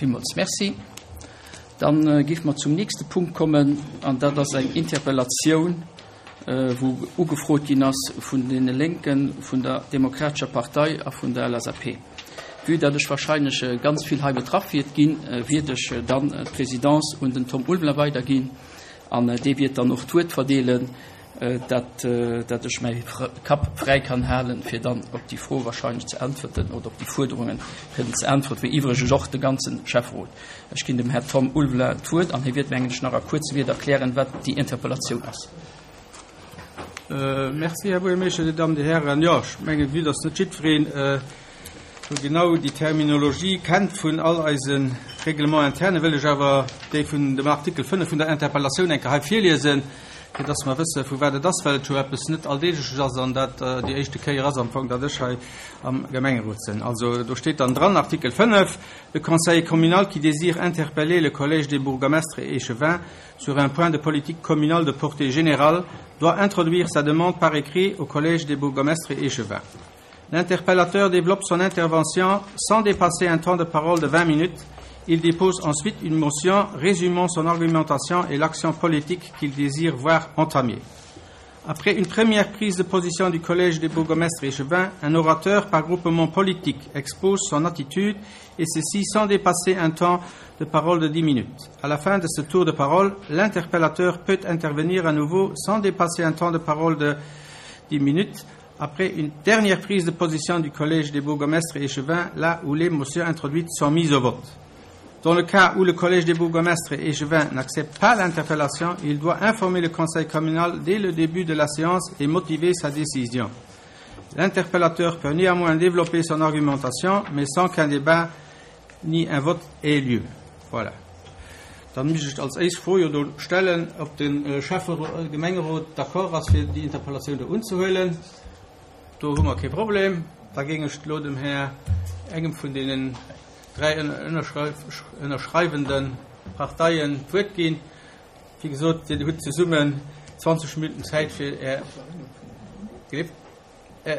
Villmools Merci. Dann géife mer zum nächste Punkt kommen, an dat ass eng Interpellatioun, wou ugefrot ginn ass vun deene Lénken, vun der Demokratescher Partei a vun der LSAP. Vue datt ech wahrscheinlech ganz vill hei betraff wiert ginn, wiert ech dann d'Présidence un den Tom Ulveler weiderginn an dee wiert dann och d'Wuert verdeelen, dat dat ech mäi Kapp fräi kann halen, fir dann op déi Fro wahrscheinlech ze äntwerten oder op déi Fuerderungen kënnen ze äntweren, wéi iwwregens och de ganze Schäfferot. Ech ginn dem Här Tom Ulveler d'Wuert an hie wiert, mengen ech, nach a kuerze Wierder erklären, wat déi Interpellatioun ass. Merci, Här Buergermeeschter, Dir Dammen, Dir Hären. Jo, ech mengen, vue dass net jiddwereen sou genau déi Terminologie kennt vun all eise Règlements internes, wëll ech awer déi vun dem Artikel 5 vun der Interpellatioun eng Kéier hei virliesen, fir dass mer wësse vu wat et ass, well et jo eppes net Alldeegleches ass an dat déi éischte Kéier ass am Fong, datt ech hei am Gemengerot sinn. Also do steet dann dran, Artikel 5, Le conseiller communal qui désire interpeller le collège des bourgmestres et échevins sur un point de politique communale de portée générale doit introduire sa demande par écrit au collège des bourgmestres et échevins. L'interpellateur développe son intervention sans dépasser un temps de parole de 20 minutes. Il dépose ensuite une motion résumant son argumentation et l'action politique qu'il désire voir entamée. Après une première prise de position du collège des bourgmestres échevins, un orateur par groupement politique expose son attitude et ceci sans dépasser un temps de parole de 10 minutes. À la fin de ce tour de parole, l'interpellateur peut intervenir à nouveau sans dépasser un temps de parole de 10 minutes après une dernière prise de position du collège des bourgmestres et échevins, là où les motions introduites sont mises au vote. Dans le cas où le collège des bourgmestres et échevins n'accepte pas l'interpellation, il doit informer le conseil communal dès le début de la séance et motiver sa décision. L'interpellateur peut néanmoins développer son argumentation, mais sans qu'un débat ni un vote ait lieu. Voilà. Dann muss ich als éischt Fro jo do stellen, ob de Schäfferot, Gemengerot d'accord ass, fir déi Interpellatioun do unzehuelen. Do hu mer kee Problem. Da géing ech elo dem Här, engem vun deenen dräi ënnerschreiwende Parteien d'Wuert ginn. Wéi gesot, Dir hutt zesummen 20 Minutten Zäit fir Är,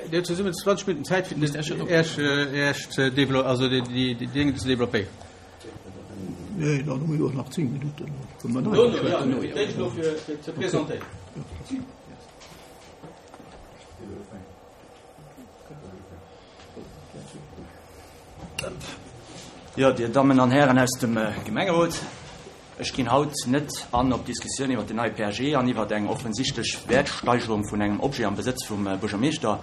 Dir hutt zesummen 20 Minutten Zäit fir Iech, Iech ze dévelop-, also déi Dénge ze développéieren. Nee, dann hu mir jo och nach 10 Minutten. Fir ze presentéieren. Jo, Dir Dammen an Hären aus dem Gemengerot, ech ginn haut net an op d'Diskussioun iwwert den neie PAG an iwwert eng offensichtlech Wäertsteigerung vun engem Objet am Besëtz vum Buergermeeschter.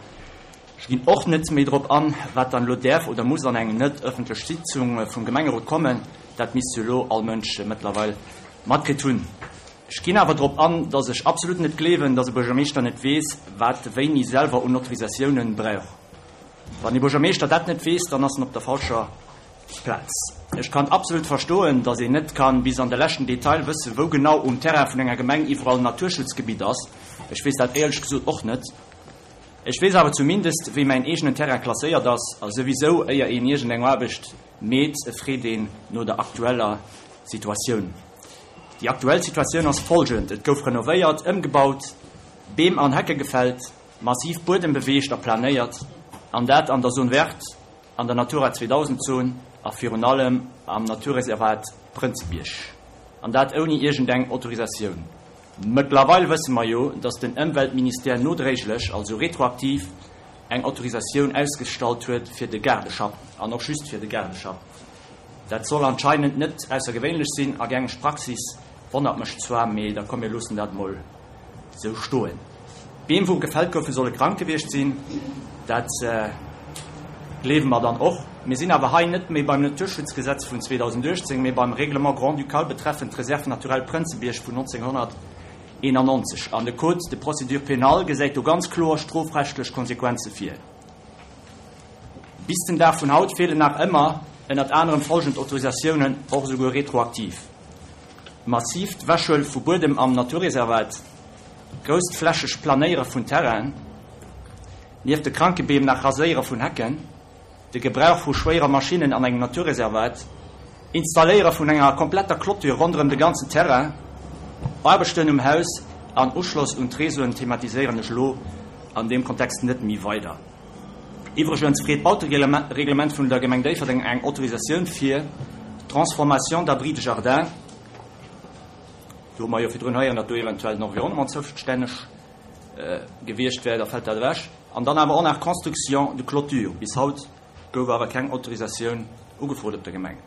Ech ginn och net méi drop an, wat dann elo däerf oder muss an eng net ëffentlech Sitzung vum Gemengerot kommen. Dat misst jo elo all Mënsch mëttlerweil matkritt hunn. Ech ginn awer drop an, dass ech absolut net gleewen, dass e Buergermeeschter net weess, wat e wéini selwer un Autorisatiounen brauch. Wann e Buergermeeschter dat net weess, dann ass en op der falscher Plaz. Ech kann absolut verstoen, dass een net kann bis an de leschten Detail wëssen, wou genau um Terrain vun enger Gemeng iwwerall Naturschutzgebitt ass. Ech weess dat éierlech gesot och net. Ech weess awer zumindest, wéi mäin eegenen Terrain klasséiert ass. A souwisou, éier een iergendeng Aarbecht meet, freet een no der aktueller Situatioun. Déi aktuell Situatioun ass folgend, Et gouf renovéiert, ëmgebaut, Beem an Hecke gefällt, massiv Buedem beweegt a planéiert, an dat an der Zone verte, an der Natura 2000 Zon a virun allem am Naturreservat Prënzebierg. An dat ouni iergendeng Autorisatioun. Mëttlerweil wësse mer jo, datt den Ëmweltministère nodréiglech, also retroaktiv, eng Autorisatioun ausgestallt huet fir de Gaardeschapp, an och just fir de Gaardeschapp. Dat soll anscheinend net aussergewéinlech sinn a gängeg Praxis, wonnert mech zwar, mee da komm mir loossen dat mol sou stoen. D'Beem wou gefällt goufen solle krank gewiescht sinn, dat gleewe mer dann och. Mir sinn awer hei net méi beim Naturschutzgesetz vun 2018, mee beim Règlement grand-ducal betreffend d'Réserve naturelle Prënzebierg vun 1991 an de Code de procédure pénale gesäit do ganz kloer strofrechtlech Konsequenze vir. Bis den Dag vun haut feelen nach ëmmer ënnert anerem folgend Autorisatiounen, och esouguer retroaktiv, massiivt Wäschhuele vu Buedem am Naturreservat, grousstflächeg Planéiere vun Terrainen, nieft de kranke Beem nach Raséiere vun Hecken, de Gebrauch vu schwéiere Maschinnen an engem Naturreservat, Installéiere vun enger kompletter Clôture ronderëm de ganzen Terrain, Aarbechten um Haus an Uschloss un d'Reseauen thematiséieren ech elo an deem Kontext net méi weider. Iwwregens freet d'Bautereglement vun der Gemeng Déifferdeng eng Autorisatioun fir. Transformation d'abris de jardin, do hu mer jo virdrun héieren, datt do eventuell den Environnement zoustänneg gewiescht wär, da fält dat ewech. An dann awer och nach Construction de clôture, bis haut gouf awer keng Autorisatioun ugefrot op der Gemeng.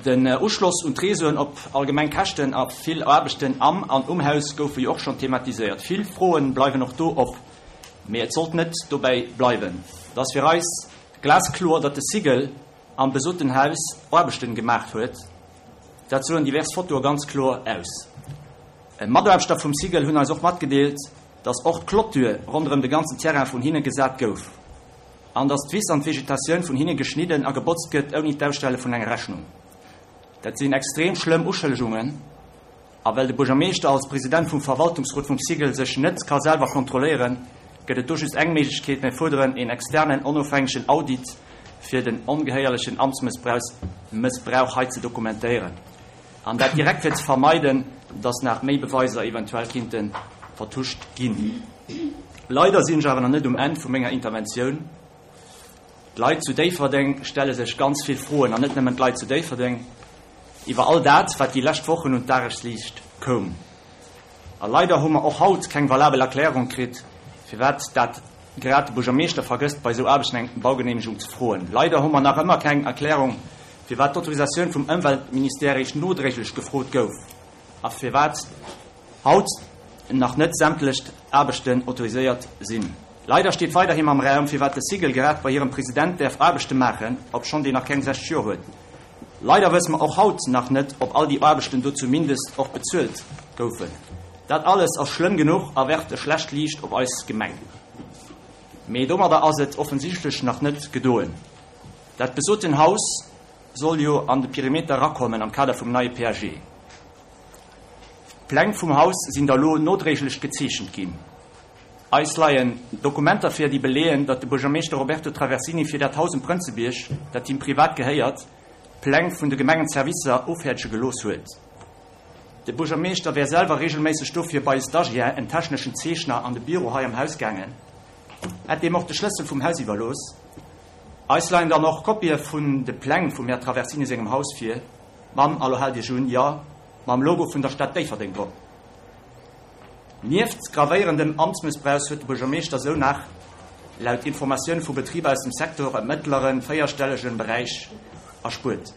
Den Uschloss un d'Reseauen op allgemeng Käschten a vill Aarbechten am an um Haus goufe jo och schonn thematiséiert. Vill Froen bleiwen och do op, mee et sollt net dobäi bleiwen. Et ass fir eis glaskloer, datt de Sigel am besoten Haus Aarbechten gemaach huet. Dat soen divers Fotoe ganz kloer aus. Mataarbechter vum Sigel hunn eis och matgedeelt, datt och d'Clôture ronderëm de ganzen Terrain vun hinne gesat gouf. An datt d'Wiss an d'Vegetatioun vun hinne geschnidden a gebotzt gëtt, ouni d'Ausstelle vun enger Rechnung. Dat sinn extrem schlëmm Uschëllegungen. A well de Buergermeeschter als President vum Verwaltungsrot vum Sigel sech net ka selwer kontrolléieren, gëtt et do just eng Méiglechkeet, Mir fuerderen een externen, onofhängegen Audit, fir den ongehéierlechen Amtsmëssbrauch hei ze dokumentéieren. An dat direkt fir ze vermeiden, datt nach méi Beweiser eventuell kinnte vertuscht ginn. Leider sinn ech awer nach net um Enn vu menger Interventioun. D'Leit zu Déifferdeng stelle sech ganz vill Froen, an net nëmmen d'Leit zu Déifferdeng, iwwer all dat, wat déi lescht Wochen un d'Dagesliicht koum. A leider hu mer och haut keng valabel Erklärung kritt, firwat dat grad de Buergermeeschter vergësst, bei esou Aarbechten eng Baugeneemegung ze froen. Leider hu mer nach ëmmer keng Erklärung, firwat d'Autorisatioun vum Ëmweltministère eréischt nodréiglech gefrot gouf a firwat haut nach net sämtlech Aarbechten autoriséiert sinn. Leider steet weiderhin am Raum, firwat de Sigel grad bei hirem President däerf Aarbechte maachen, obschonn deen nach keng 60 Joer huet. Leider wësse mer och haut nach net, ob all déi Aarbechten do zumindest och bezuelt goufen. Dat alles ass schlëmm genuch a werft e schlecht Liicht op eis Gemeng. Mee domadder ass et offensichtlech nach net gedoen. Dat besoten Haus soll jo an de Perimeter erakommen am Kader vum neie PAG. D'Pläng vum Haus sinn da lo nodréiglech gezeechent ginn. Eis leien Dokumenter vir, déi beleeën, datt de Buergermeeschter Roberto Traversini fir dat Haus um Prënzebierg, dat him privat gehéiert, d'Pläng vun de Gemengenservicer ofhäerdege gelooss huet. De Buergermeeschter wär selwer reegelméisseg dofir bei e Stagiaire, en techneschen Zeechner, an de Büro hei am Haus gaangen, hätt deem och de Schlëssel vum Haus iwwerlooss. Eis leien dann och Kopië vun de Pläng vum Här Traversini sengem Haus vir, mam, a lo haalt Iech un, jo, mam Logo vun der Stad Déifferdeng drop. Nieft gravéierendem Amtsmëssbrauch huet de Buergermeeschter sou nach, laut Informatioune vu Betriber aus dem Secteur, e mëttlere véierstellege Beräich erspuert.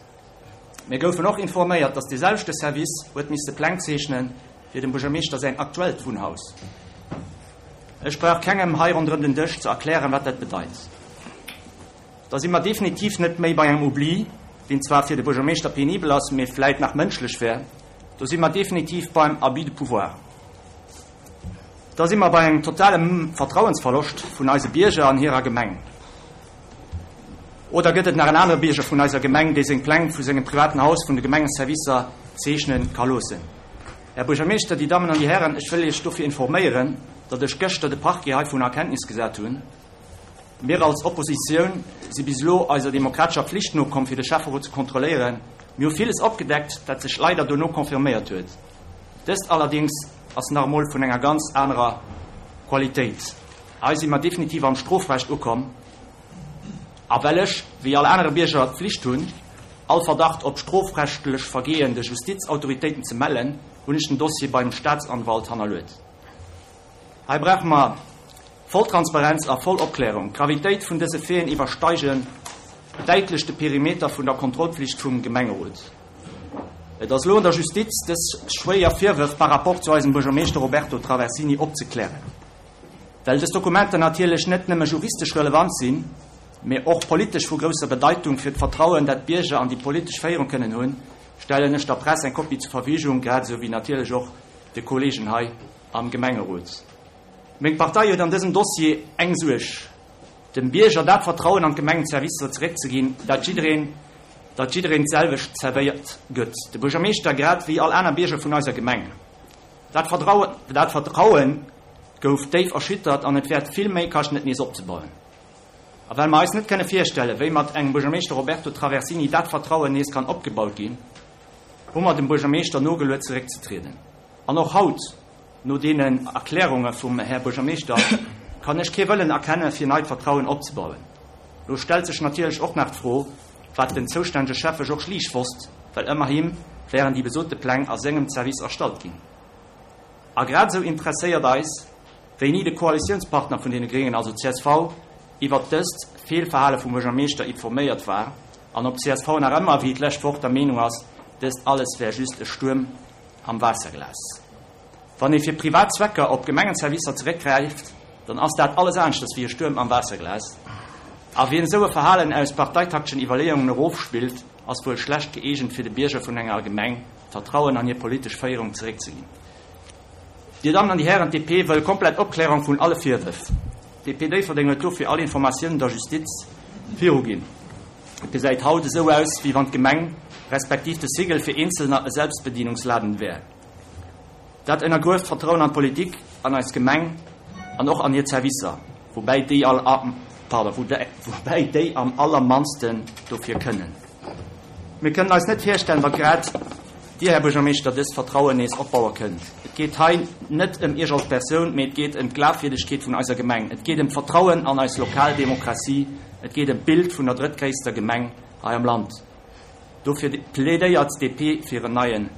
Mir goufen och informéiert, datt dee selwechte Service huet misste Pläng zeechne fir dem Buergermeeschter säin aktuellt Wunnhaus. Ech brauch kengem hei ronderëm den Dësch ze erklären, wat dat bedeit. Da si mer definitiv net méi bei engem Oubli, deen zwar fir de Buergermeeschter penibel ass, mee vläit nach mënschlech wär. Do si mer definitiv beim Abus de pouvoir. Da si mer bei engem totale Vertrauensverloscht vun eise Bierger an hirer Gemeng. Oder gëtt et nach en anere Bierger vun eiser Gemeng, dee seng Pläng vu sengem privaten Haus vun de Gemengeservicer zeechne ka loossen? Här Buergermeeschter, Dir Dammen an Dir Hären, ech wëll Iech dofir informéieren, datt ech gëschter de Parquet heivun a Kenntnis gesat hunn. Mir als Oppositioun si bis elo eiser demokratescher Pflicht nokomm, fir de Schäfferot ze kontrolléieren. Mir hu villes opgedeckt, dat sech leider dono confirméiert huet. Dëst allerdéngs ass nach emol vun enger ganz anerer Qualitéit. Hei si mer definitiv am Strofrecht ukomm. A well ech, wéi all anere Bierger, d'Pflicht hunn, all Verdacht op strofrechtlech Vergehen de Justizautoritéiten ze mellen, hunn ech den Dossier beim Staatsanwalt hannerluet. Hei brauche mer voll Transparenz a voll Opklärung. D'Gravitéit vun dëse Faiten iwwersteigen däitlech de Perimeter vun der Kontrollpflicht vum Gemengerot. Et ass elo un der Justiz, dës schwéier Virwërf par rapport zu eisem Buergermeeschter Roberto Traversini opzeklären. Well dës Dokumenter natierlech net nëmme juristesch relevant sinn, mee och politesch vu grousser Bedeitung fir d'Vertrauen, dat d'Bierger an déi politesch Féierung kënnen hunn, stellen ech der Press eng Kopie zur Verfügung, grad esou wéi natierlech och de Kollegen hei am Gemengerot. Meng Partei huet an dësem Dossier eng Suerg, dem Bierger dat Vertrauen an d'Gemengenservicer zeréckzeginn, dat jiddereen, datt jiddereen d'selwecht zerwéiert gëtt, de Buergermeeschter grad wéi all aner Bierger vun eiser Gemeng. Dat Vertrauen, dat Vertrauen gouf déif erschüttert an et wäert vill méi kaschten et nees opzebauen. A well mer eis net kënne virstellen, wéi mat engem Buergermeeschter Roberto Traversini dat Vertrauen nees kann opgebaut ginn, hu mer dem Buergermeeschter nogeluet zeréckzetrieden. An och haut, no deenen Erklärunge vum Här Buergermeeschter, kann ech kee Wëllen erkenne fir neit Vertrauen opzebauen. Lo stellt sech natierlech och nach d'Fro,. Wat den zoustännege Schäffe Georges Liesch wosst, well ëmmerhi wären déi besote Pläng a sengem Zerwiss erstallt ginn. A grad esou interesséiert eis, wéini de Koalitiounspartner vun deene Gréngen, also csv, iwwert dëst Feelverhale vum Buergermeeschter informéiert war an ob csv nach ëmmer, wéi d'lescht Woch, der Meenung ass, dëst alles wär just e Stuerm am Waasserglas. Wann ee fir privat Zwecker op Gemengenservicer zeréckgräift, dann ass dat alles aneschters wéi e Stuerm am Waasserglas. A wien esou e Verhalen aus parteitakteschen Iwwerleeungen erofspillt, ass wuel schlecht gëeegent fir de Bierger vun enger Gemeng d'Vertrauen an hir politesch Féierung zeréckzeginn. Dir Dammen an Dir Hären, d'DP wëll komplett Opklärung vun alle Virwërf. D'DP Déifferdeng huet dofir all Informatiounen der Justiz viruginn. Et gesäit haut esou aus, wéi wann d'Gemeng respektiv de Sigel fir Eenzelner e Selbstbedienungsladen wär. Dat ënnergrueft d'Vertrauen an d'Politik, an eis Gemeng an och an hir Zerwisser, woubäi déi all, pardon, woubäi déi am allermannsten dofir kënnen. Mir kënnen eis net virstellen, datt grad Dir, Här Buergermeeschter, dëst Vertrauen nees opbaue kënnt. Et geet hei net ëm Iech als Persoun, mee et geet ëm d'Glafwierdegkeet vun eiser Gemeng. Et geet ëm d'Vertrauen an eis lokal Demokratie. Et geet ëm d'Bild vun der drëttgréisster Gemeng hei am Land. Dofir plädéiert d'DP fir en neien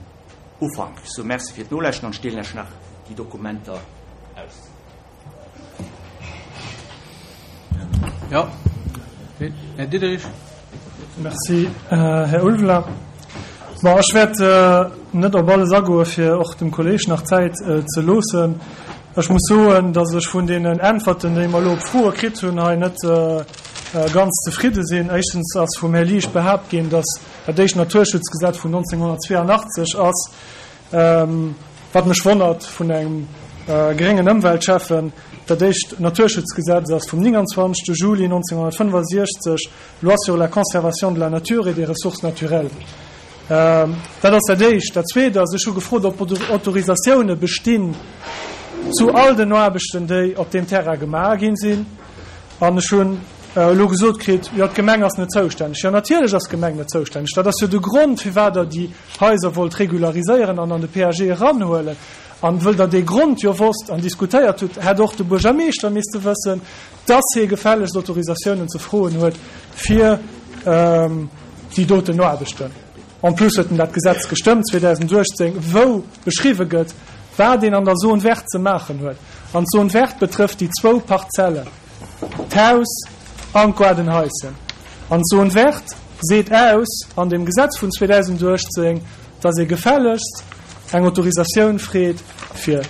Ufank. Ech soe Merci fir d'Nolauschten an ech deelen lech nach déi Dokumenter aus. Jo, Här Diderich. Merci, Här Ulveler. Bon, ech wäert net op alles agoen, fir och dem Kolleeg nach Zäit ze loossen. Ech muss soen, datt ech vun deenen Äntwerten, déi mer elo op Froe kritt hunn, hei net ganz zefridde sinn. Éischtens ass vum Här Liesch behaapt ginn, datt dat éischt Naturschutzgesetz vun 1982 ass, wat mech wonnert vun engem gréngen Ëmweltschäffen. Dat éischt Naturschutzgesetz ass vum 29. Juli 1965, Loi sur la conservation de la nature et des ressources naturelles. Dat ass dat Éischt. Dat Zweet ass, ech hu gefrot, ob Autorisatioune bestinn zu all den Aarbechten, déi op deem Terrain gemaach ginn sinn. An ech hunn elo gesot kritt, jo, d'Gemeng ass net zoustänneg. Jo, natierlech ass d'Gemeng net zoustänneg. Dat ass jo de Grond, firwat Der déi Haiser wollt regulariséieren an an de PAG eranhuelen. An wëll Der dee Grond jo wosst an diskutéiert hutt, hätt och de Buergermeeschter misste wëssen, dass hie gefällegst Autorisatiounen ze froen huet fir déi doten Aarbechten. En plus huet en dat Gesetz gestëmmt 2018, wou beschriwwe gëtt, wat een an der Zone verte ze maachen huet. An d'Zone verte betrëfft déi zwou Parzellen, d'Haus an d'Goardenhaischen. An d'Zone verte seet aus an deem Gesetz vun 2018, dass ee gefällegst eng Autorisatioun freet fir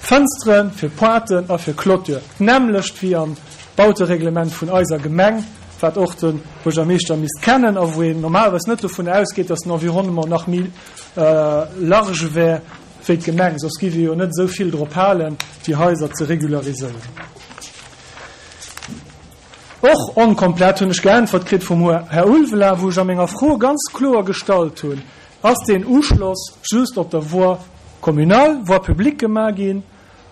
Fënsteren, fir Pointen a fir Clôture, d'nämmlecht wéi am Bautereglement vun eiser Gemeng, wat och de Buergermeeschter misst kennen a wou een normalerweis net dovun ausgeet, datt den Environnement nach méi large wär wéi d'Gemeng, soss géif ee jo net esou vill drop halen, déi Haiser ze regulariséieren. Och onkomplett hunn ech geäntwert kritt vum Här Ulveling, wou ech a menger Fro ganz kloer gestallt hunn, Ass deen Uschloss just op der Voie communale, Voie publique gemaach ginn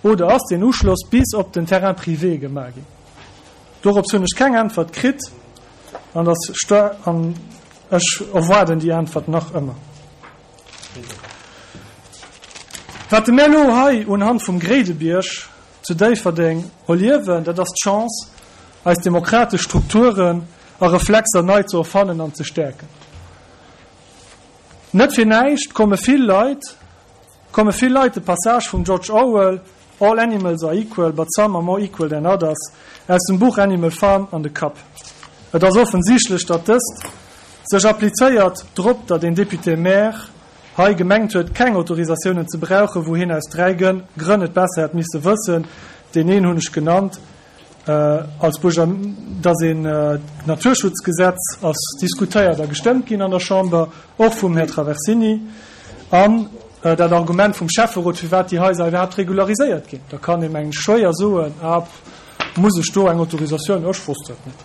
oder ass deen Uschloss bis op den Terrain privé gemaach ginn? Dorops hunn ech keng Äntwert kritt an an ech erwaarden déi Äntwert nach ëmmer. Wat de mir elo hei unhand vum Gréidebierg zu Déifferdeng erliewen, dat ass d'Chance, eis demokratesch Strukturen a Reflexer nei ze erfannen an ze stäerken. Net fir näischt komme vill Leit komme vill Leit de Passage vum George Orwell All animals are equal, but some are more equal than others aus dem Buch Animal Farm an de Kapp. Et ass offensichtlech, datt dëst sech applizéiert drop, datt een Député-maire hei gemengt huet, keng Autorisatiounen ze brauchen, wou hien aus 3 Grënn et besser hätt misse wëssen, deen een hunn ech genannt, als Buerger, dass een d'Naturschutzgesetz ass diskutéiert a gestëmmt ginn an der Chamber, och vum Här Traversini, an dat Argument vum Schäfferot, firwat déi Haiser iwwerhaapt regulariséiert ginn. Da kann ee mengen ech schwéier soen, ah, muss ech do eng Autorisatioun, ech wosst dat net.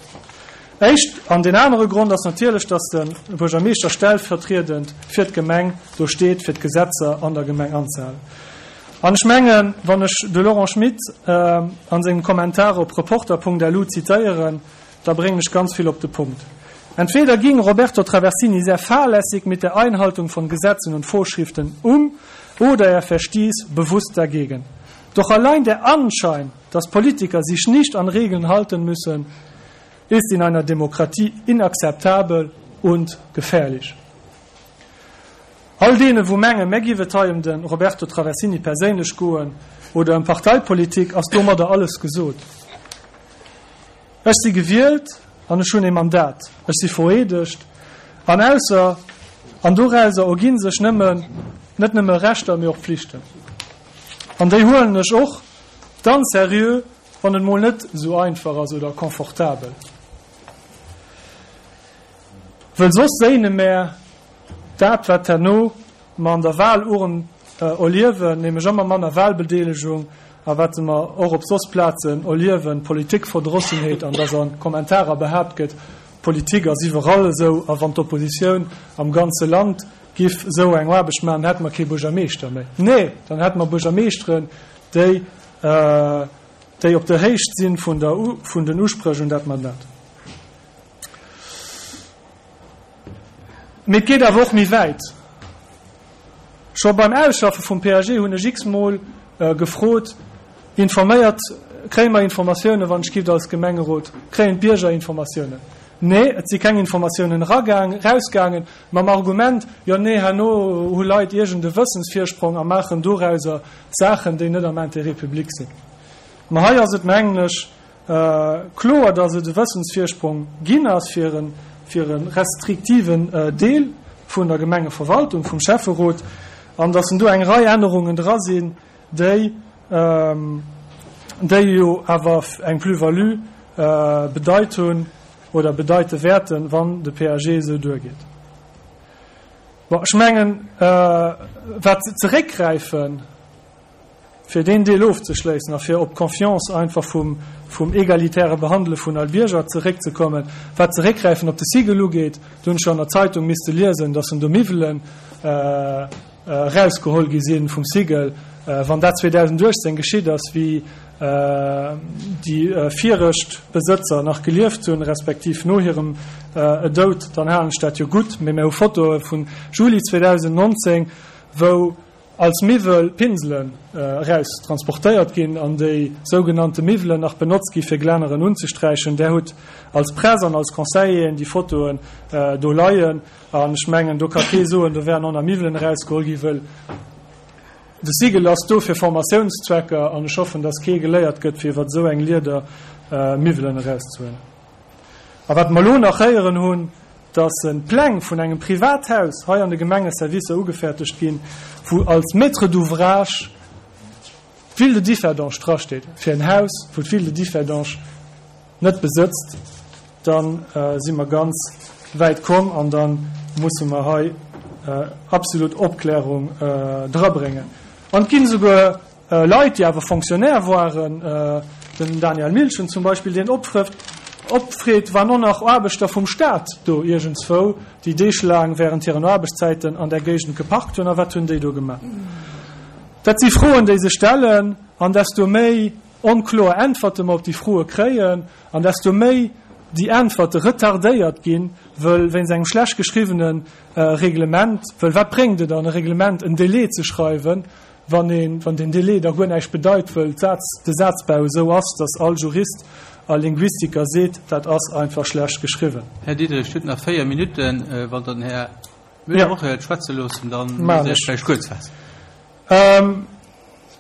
Éischt. An deen anere Grond ass natierlech, dass de Buergermeeschter stellvertriedend fir d'Gemeng do steet, fir d'Gesetzer an der Gemeng anzehalen. An ech mengen, wann ech de Laurent Schmit a sengem Kommentar op Reporter.lu zitéieren, da bréngen ech ganz vill op de Punkt. Entweder ging Roberto Traversini sehr fahrlässig mit der Einhaltung von Gesetzen und Vorschriften um, oder er verstieß bewusst dagegen. Doch allein der Anschein, dass Politiker sich nicht an Regeln halten müssen, ist in einer Demokratie inakzeptabel. und gefährlich. All deene wou mengen, mär giff et hei ëm de Roberto Traversini perséinlech goen oder ëm Parteipolitik, ass domadder alles gesot. Ech si gewielt an ech hunn ee Mandat, ech si vereedegt an ausser an dorauser erginn sech nëmmen net nëmme Rechter, mee och Pflichten. An déi huelen ech och dann seriö, wann et mol net esou einfach ass oder confortabel. Wëll soss séine mär dat, wat herno mer an der Wahlurn erliewen, nämlech ëmmer manner Wahlbedeelegung, a wat mer och op soss Plazen erliewen, Politikverdrossenheet, an dass a Kommentarer behaapt gëtt, Politik ass iwwerall esou, a wann d'Oppositioun am ganze Land giff esou eng Aarbecht maachen, hätte mer kee Buergermeeschter méi. Nee, dann hätte mer Buergermeeschteren, déi, déi op der Héicht si vun der, vun den Uspréch un dat Mandat. Mee et geet awer och méi wäit. Scho beim Ausschaffe vum PAG hunn ech x-mol gefrot, Informéiert, kréie mer Informatiounen, wann ech gift als Gemengerot, kréien d'Bierger Informatiounen? Nee, et si keng Informatiounen eragaang, erausgaangen, mam Argument, jo nee, herno hu Leit iergend e Wëssensvirsprong a maachen dorauser Saachen, déi net am Intérêt public sinn. Ma hei ass et, mengen ech, Kloer, datt et e Wëssensvirsprong ginn ass fir e fir e restriktiven Deel vun der Gemengeverwaltung, vum Schäfferot, an datt en do eng Rei Ännerungen dra sinn, déi déi jo awer eng Plus-value bedeit hunn oder bedeite wäerten, wann de PAG esou duergeet. Bon, ech mengen, wat zeréckgräifen, Fir deen Deel ofzeschléissen a fir op d'Confiance einfach vum, vum egalitäre Behandele vun all Bierger zeréckzekommen, wat d'Zeréckgräifen op de Sigel ugeet, do hunn ech jo an der Zeitung misste liesen, dass en do Miwwelen erausgeholl gi si vum Sigel. Wann dat 2018 geschitt ass, wéi déi viregt Besëtzer nach gelieft hunn, respektiv no hirem Doud, dann halen ech dat jo gutt. Mee mir hu Fotoe vu Juli 2019, wou als Miwwel Pinselen eraus transportéiert ginn an déi sougenannte Miwwelen nach benotzt gi fir Glänneren unzesträichen. Där hutt als Press an als Conseilleren déi Fotoen do leien an ech mengen do ka kee soen, do wären och nach Miwwelen erausgeholl gi wëll de Sigel ass do fir Formatiounszwecker an ech hoffen, datt kee geléiert gëtt fir iwwer esou eng Lieder Miwwelen erauszehuelen. A wat mer elo nach héieren hunn, dass Pläng vun engem Privathaus hei an de Gemengeservicer ugefäertegt ginn, wou als Maître d'ouvrage d'Ville de Differdange drasteet, fir en Haus, wou d'Ville de Differdange net besëtzt, da si mer ganz wäit komm an da musse mer hei absolut Opklärung drabréngen. An et ginn esouguer Leit, déi awer Fonctionnaire waren, den Daniel Milchen zum Beispill, deen opfrëfft, opfreet, wann och nach Aarbechter vum Staat do iergendswou, déi deeglaang während hiren Aarbechtszäiten an där Géigend geparkt hunn, a wat hunn déi do gemaach? Dat si Froen, déi sech stellen, an desto méi onkloer Äntwerte mer op déi Froe kréien, an desto méi déi Äntwerte retardéiert ginn, wëll wéinst engem schlecht geschriwwene Reglement, wëll wat bréngt et an e Reglement en Délai ze schreiwen, Wann een, wann den Délai da guer näischt bedeit, wëll d'Saz, de Sazbau esou ass, datt all Jurist a Linguistiker seet, dat ass einfach schlecht geschriwwen. Här Diderich, Dir hutt nach 4 Minutten. Wann Der den Här Müller och wëllt schwätze loossen, da musst Der Iech vläicht kuerz faassen.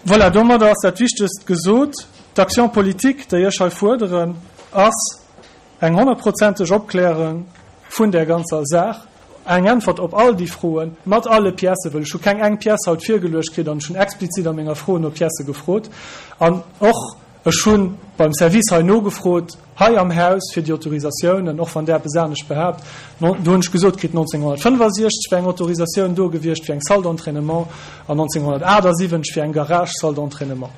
Voilà, domadder ass dat Wichtegst gesot. D'Action politique, déi ech hei fuerderen, ass, Eng honnertprozenteg Opklärung vun där ganzer Saach, eng Äntwert op all déi Froen, mat alle Piècen, wëll ech hu keng eng Pièce haut virgeluecht kritt an ech hunn explizit a menger Fro no Piècë gefrot. An och ech hu beim Service hei nogefrot, hei am Haus, fir déi Autorisatiounen, och wann där eppes anescht behaapt. Do hunn ech gesot kritt, 1965 wär eng Autorisatioun do gewiescht fir eng Salle d'entraînement an 1978 fir eng Garage-Salle d'entraînement.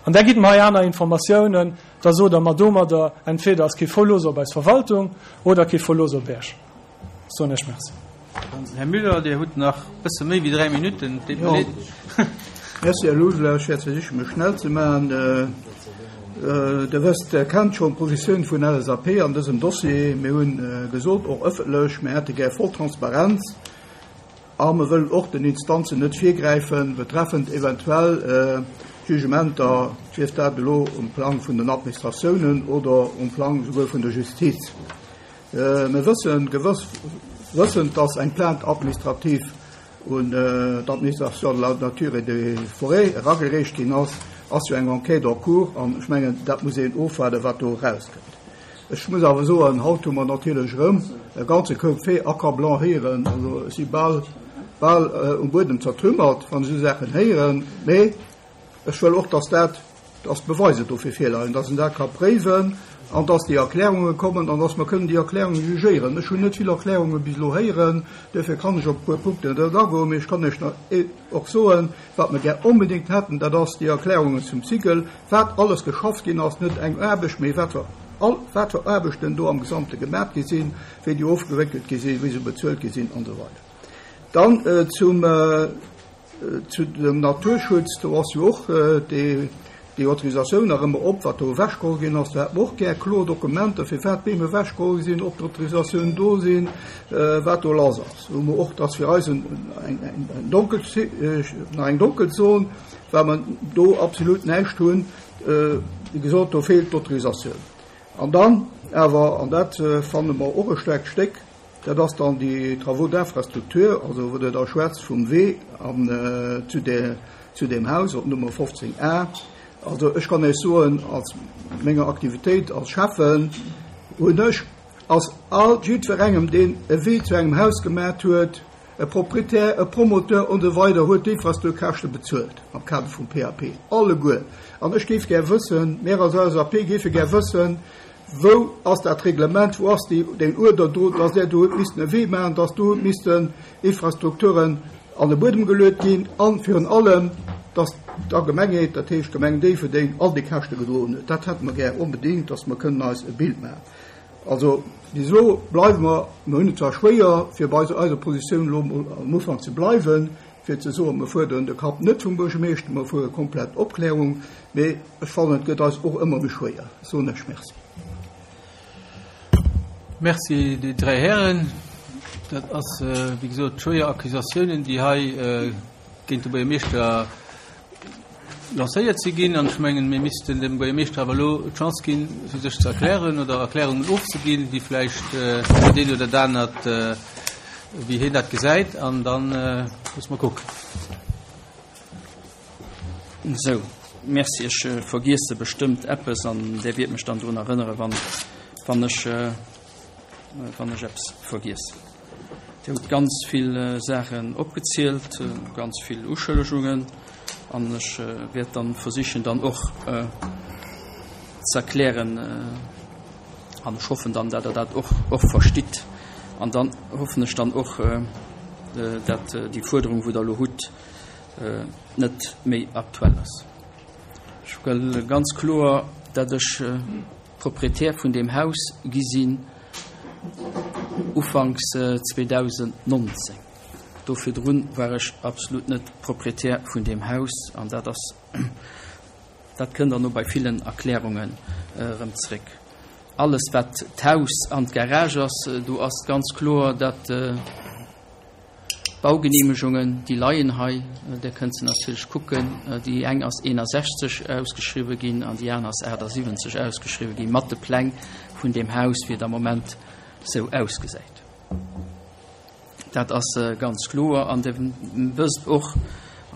An där gitt mer hei aner Informatiounen. Da sot Der mer domadder, entweder ass kee Verlooss op eis Verwaltung oder kee Verlooss op Iech. Ech soen Iech Merci. Här Müller, Dir hutt nach e bësse méi wéi 3 Minutten. Et deet mer leed. Merci, Här Logeler. Ech wäert versichen, mech schnell ze maachen. Der wësst, Der kennt schonn d'Positioun vun LSAP an dësem Dossier. Mir hu gesot, och ëffentlech, mir hätte gär voll Transparenz. A mer wëllen och den Instanzen net virgräifen, betreffend eventuell Jugementer, sief dat elo um Plang vun den Administratiounen oder um Plang souguer vun der Justiz. Mir wëssen gewëss. Wëssend, dass eng Plainte administrative un d'Administration de la nature et des forêts eragereecht ginn ass, ass jo eng Enquête en cours an ech mengen, dat muss een ofwaarden, wat do erauskënnt. Ech muss awer soen, haut hu mer natierlech erëm e ganze Koup Fait accablant héieren. Also ech si bal, bal um Buedem zertrümmert, wann ech esou Saachen héieren. Mee ech wëll och, dass dat, dass d'Beweiser dofir virleien, dass een dat ka préiwen an dass déi Erklärunge kommen an dass mer kënnen déi Erklärunge jugéieren. Ech hunn net vill Erklärunge bis elo héieren, duerfir kann ech op e puer Punkten net agoen. Mee ech kann Iech och soen, Wat mer gär onbedéngt hätten, dat ass déi Erklärungen zum Cycle, wat alles geschafft ginn ass, net eng Aarbecht, mee wat fir all, wat fir Aarbechten do am Gesamte gemat gi sinn, wéi déi ofgewéckelt gi sinn, wéi se bezuelt gi sinn an esou weider. Dann zum, zu dem Naturschutz, do ass jo och déi, déi Autorisatioun nach ëmmer op, wat do ewechgeholl ginn ass. Do hätte mer och gär kloer Dokumenter, firwat d'Beem ewechgeholl gi sinn, ob d'Autorisatiounen do sinn, wat do lass ass. Do hu mer och, dat ass fir eis eng donkel, nach eng donkel Zon, well mer do absolut näischt hunn. Wéi gesot, do feelt d'Autorisatioun. An dann awer, an dat fanne mer och e staarkt Stéck, Dat ass dann déi Travaux d'infrastructure, also wou Der da schwätzt vum Wee an zu där, zu deem Haus op Nummer 15 a. Also ech kann Iech soen, als menger Aktivitéit als Schäffen hunn ech, ass all jiddwerengem, deen e Wee zu engem Haus gemat huet, e Proprietär, e Promoteur und esou weider, huet d'Infrastrukturkäschte bezuelt am Kader vum PAP. Alleguer. An ech géif gär wëssen, mir als LSAP géife gär wëssen, Wou ass dat Reglement, wou ass déi, deen Uerder do, dass där do huet missten e Wee maachen, dass do huet missten Infrastrukturen an de Buedem geluet ginn a virun allem, dass d'Allgemengheet, dat heescht d'Gemeng Déifferdeng, all déi Käschte gedroen huet? Dat hätte mer gär onbedéngt, dass mer kënnen eis e Bild maachen. Also bis elo bleiwe mer, mer hunn et zwar schwéier, fir bei eiser Positioun elo emol am Ufank ze bleiwen, fir ze soen, mer fuerderen de Kapp net vum Buergermeeschter, mer fuere komplett Opklärung, mee ech fannen, et gëtt eis och ëmmer méi schwéier, soen ech. Merci. Merci déi dräi Hären. Dat ass, wéi gesot, schwéier Accusatiounen, déi hei géint de Buergermeeschter lancéiert si ginn. An ech mengen, mir missten dem Buergermeeschter awer elo d'Chance ginn, fir sech ze erklären oder Erklärungen ofzeginn, déi vläicht dat eent oder dat anert, wéi hien dat gesäit. An da musse mer kucken. Sou, merci. Ech vergiesse bestëmmt eppes an Där wiert mech dann drun erënnere, wann, wann ech, wann ech eppes vergiess. Dir hutt ganz vill Saachen opgezielt, ganz vill Uschëllegungen, an ech wäert dann versichen, dann och ze erklären, an ech hoffen dann, dat Der dat och, och verstitt. An dann hoffen ech dann och, dat déi Fuerderung, wou Der elo hutt, net méi aktuell ass. Ech wëll ganz kloer, dat ech Proprietär vun deem Haus gi sinn ufanks 2019. Do virdrun war ech absolut net Proprietär vun deem Haus an dat ass, dat kënnt dann no bei villen Erklärungen erëm zréck. Alles wat d'Haus an d'Garage ass, do ass ganz kloer, dat D'Baugenehmegungen, déi leien hei, Dir kënnt se natierlech kucken. Déi eng ass 61 ausgeschriwwen ginn an déi aner ass 78 ausgeschriwwen ginn, mat de Pläng vun deem Haus, wéi et am Moment esou ausgesäit. Dat ass ganz kloer. An Dir wësst och,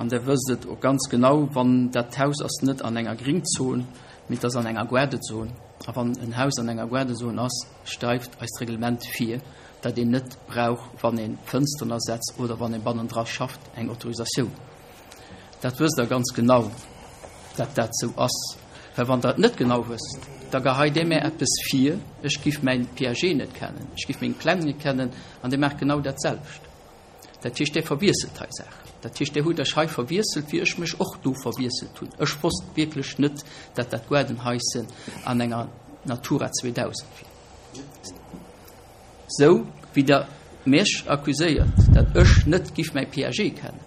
an Dir wësst et och ganz genau, wann dat Haus ass net an enger Gringzon, mee et ass an enger Gaardezon. A wann en Haus an enger Gaardezon ass, schreift eist Reglement vir, dat een net brauch, wann ee Fënsteren ersetzt oder wann ee bannendra schafft, eng Autorisatioun. Dat wësst Der ganz genau, dat dat esou ass. Well wann Der et net genau wësst, da geheit Dir mär eppes vir, ech giff mäin PAG net kennen, ech giff meng Pläng net kennen, an Dir maacht genau dat selwecht. Dat heescht, Dir verwiesselt hei Saachen. Dat heescht, Dir hutt Iech hei verwiesselt, wéi ech mech och do verwiesselt hunn. Ech wosst wierklech net, dat dat Gaardenhaischen an enger Natura 2000 wier. Sou wéi Der mech accuséiert, dat ech net giff mäi PAG kennen,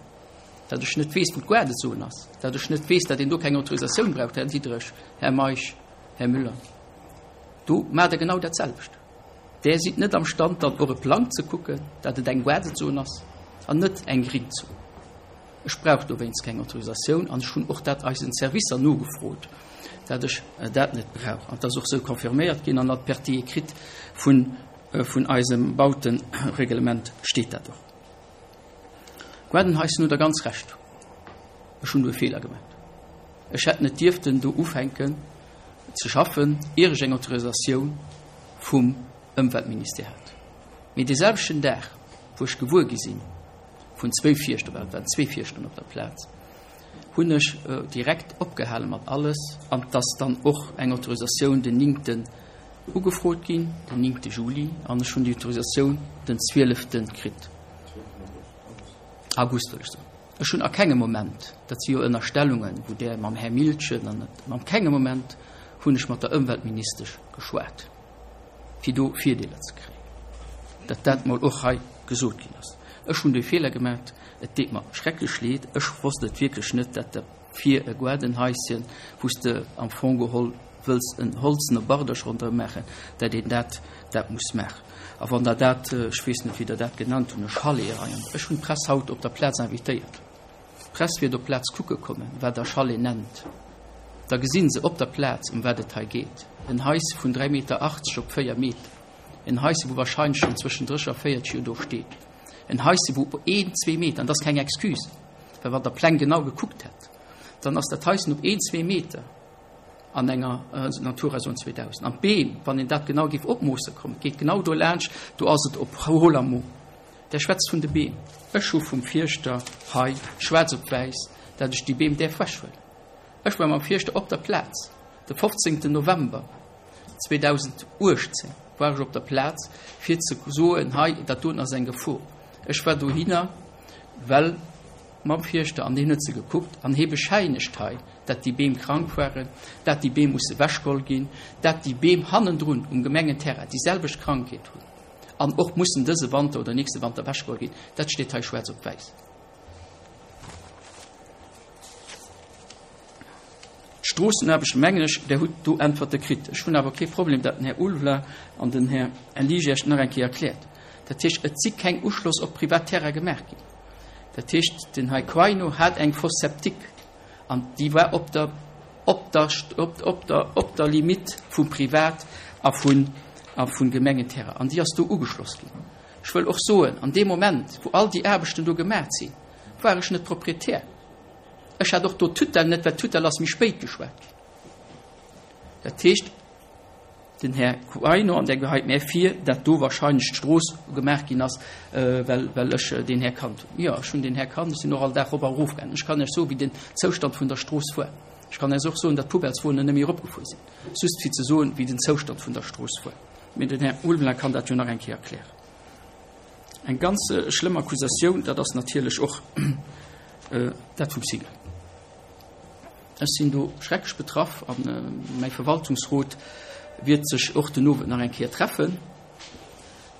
dat ech net weess, wou d'Gaardezon ass, dat ech net weess, dat een do keng Autorisatioun braucht, Här Diderich, Här Meisch, Här Müller, do maacht Der genau dat selwecht. Där sidd net am Stand, dann och e Plang ze kucken, dat et eng Gaardezon ass an net eng Gringzon. Ech brauch dowéinst keng Autorisatioun an ech hunn och dat eisen Servicer nogefrot, dat ech dat net brauch. An et ass och esou confirméiert ginn an der Partie écrite vun. vun eisem Bautereglement steet dat och. Gaardenhaischen hutt Der ganz Recht, ech hunn do e Feeler gemaach. Ech hätt net dierften do ufänken ze schaffen, ier ech eng Autorisatioun vum Ëmweltministère hat. Mee dee selwechten Dag, wou ech gewuer gi sinn vun zwéi Fierschter, well et waren zwee Fierschteren op der Plaz, hunn ech direkt opgehale mat alles an et ass dann och eng Autorisatioun den néngten ugefrot ginn, den néngte Juli, an ech hunn déi Autorisatioun den zwielefte kritt, August wëll ech soen. Ech hunn a kengem Moment, dat si jo Ënnerstellungen, wou Der mam Här Miltgen an et, an kengem Moment hunn ech mat der Ëmweltministesch geschwat, fir do Virdeeler ze kréien. Datt dat mol och hei gesot ginn ass. Ech hunn dee Feeler gemat, et deet mer schrecklech leed, ech wosst et wierklech net, datt der fir e Gaardenhaischen, wou s de am Fong geholl wëlls en holzene Bardech ronderëm maachen, datt een dat dat muss maachen. A wann Der dat, ech weess net, wéi Der dat genannt hunn, e Chalet hei, an ech hunn d'Press haut op der Plaz invitéiert, d'Press wiert op d'Plaz kucke kommen, wat Der Chalet nennt, da gesi se op der Plaz, ëm wat et hei geet, en Haisse vun 3,80 Meter op 4 Meter, en Haisse, wou wahrscheinlech schonn zwëschen 30 a 40 Joer do steet, en Haisse, wou op een, zwee Meter, an dat ass keng Excuse, well wann Der d'Pläng genau gekuckt hätt, dann ass dat Haissen op een, zwee Meter an enger Natura Zone 2000. An d'Beem, wann een dat genau géif opmoosse kommen, geet genau do laanscht, do ass et op Hollermo. Der schwätzt vun de Beem. Ech hu vum Fierschter hei schwaarz op wäiss, dat ech déi Beem däerf wechhuelen. Ech war mam Fierschter op der Plaz de 15. November 2018 war ech op der Plaz fir ze soen, hei dat doen ass eng Gefor. Ech war dohinner, well mam Fierschter an deen huet se gekuckt an hee bescheinegt hei, dat déi Beem krank waren, dat déi Beem musse wechgeholl ginn, dat déi Beem hannendrun um Gemengenterrain déi selwecht Krankheet hunn an och mussen dëse Wanter oder nächste Wanter wechgeholl ginn. Dat steet hei schwaarz op wäiss. D'Stroossenaarbecht, mengen ech, Der hutt do Äntwerte kritt. Ech hunn awer kee Problem, dat den Här Ulveler an den Här Ligy Iech nach eng Kéier erkläert. Dat heescht, et si keng Uschloss op privat Terrain gemaach ginn. Dat heescht, den Här Quaino hat eng Fosse septique an déi war op der, op der, op der, op der Limite vum Privat a vun, a vun Gemengenterrain an déi ass do ugeschloss ginn. Ech wëll och soen, an deem Moment, wou all déi Aarbechten do gemaach sinn, war ech net Proprietär. Ech hat och do d'Tutelle net, well d'Tutelle ass méi spéit geschwat ginn. Dat heescht, den Här Quaino, an där geheit mär vir, dat do wahrscheinlech d'Strooss gemaach ginn ass, well, well ech deen Här kannt hunn. Jo, ech hunn deen Här kannt, ech sinn och all Dag erop a erof gaangen. Ech kann Iech soen, wéi den Zoustand vun der Strooss war. Ech kann Iech och soen, datt d'Poubelleswonen net méi eropgefuer sinn, just fir ze soen, wéi den Zoustand vun der Strooss war. Mee den Här Ulveling kann dat jo nach eng Kéier erklären. Eng ganz schlëmm Accusatioun, dat ass natierlech och dat vum Sigel. Ech sinn do schrecklech betraff a mäi Verwaltungsrot wiert sech och den Owend nach eng Kéier treffen.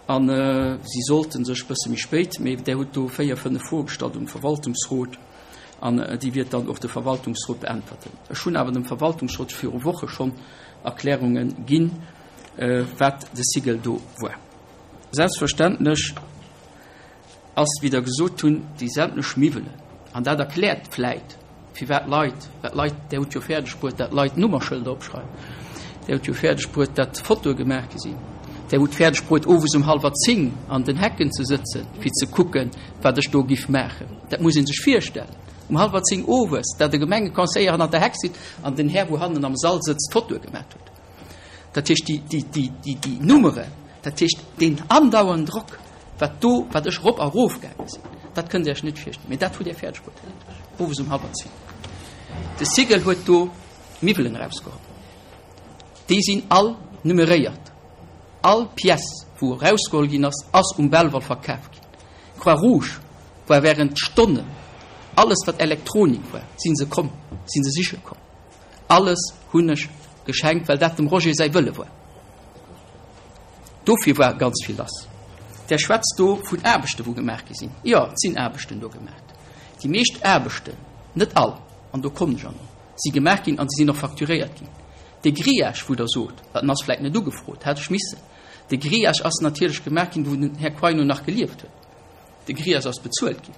A si sollte sech e bësse méi spéit, mee Der hutt do véier, fënnef Froe gestallt um Verwaltungsrot an déi wiert dann och de Verwaltungsrot beäntwerten. Ech hunn awer dem Verwaltungsrot viru Woche schonn Erklärunge ginn, wat de Sigel do war. Selbstverständlech ass, wéi Der gesot hunn, déi sämtlech Miwwelen, an dat erkläert vläit, firwat Leit, well d'Leit, Der hutt jo fäerdeg bruet, dat Leit Nummerschëlder opschreiwen, Der hutt jo fäerdeg bruet, dat Fotoe gemaach gi sinn, Der hutt fäerdeg bruet, owes um hallwer zéng an den Hecken ze sëtzen, fir ze kucken, wat ech do giff maachen. Dat muss ee sech virstellen, um hallwer zéng owes, dat e Gemengeconseiller hannert der Heck sitzt an den Här, wou hannen am Sall sëtzt, Fotoe gemaach huet. Dat heescht, déi, déi, déi, déi, déi Nummeren, dat heescht, deen andauernden Drock, wat do, wat ech erop a erof gaange sinn, dat kënnt Dir Iech net virstellen. Mee dat hutt Dir fäerdeg bruet, Här Diderich, owes um hallwer zéng. De Sigel huet do Miwwelen erausgeholl. Déi sinn all numeréiert. All Pièce, wou erausgeholl ginn ass, ass um Belval verkaf ginn. Croix Rouge war während Stonnen, alles wat Elektronik war, si se komm, si se siche komm. Alles hunn ech geschenkt, well dat dem Roger säi Wëlle war. Dofir war ganz vill lass. Der schwätzt do vun Aarbechten, wou gemaach gi sinn. Jo, et sinn Aarbechten do gemaach. Déi meescht Aarbechten, net all, an do kommen ech an, si gemaach ginn an se sinn och facturéiert ginn. De Grillage, wou Der sot, well en ass vläicht net ugefrot, hätt ech missen. De Grillage ass natierlech gemaach ginn, wou den Här Quaino nach gelieft huet. De Grillage ass bezuelt ginn.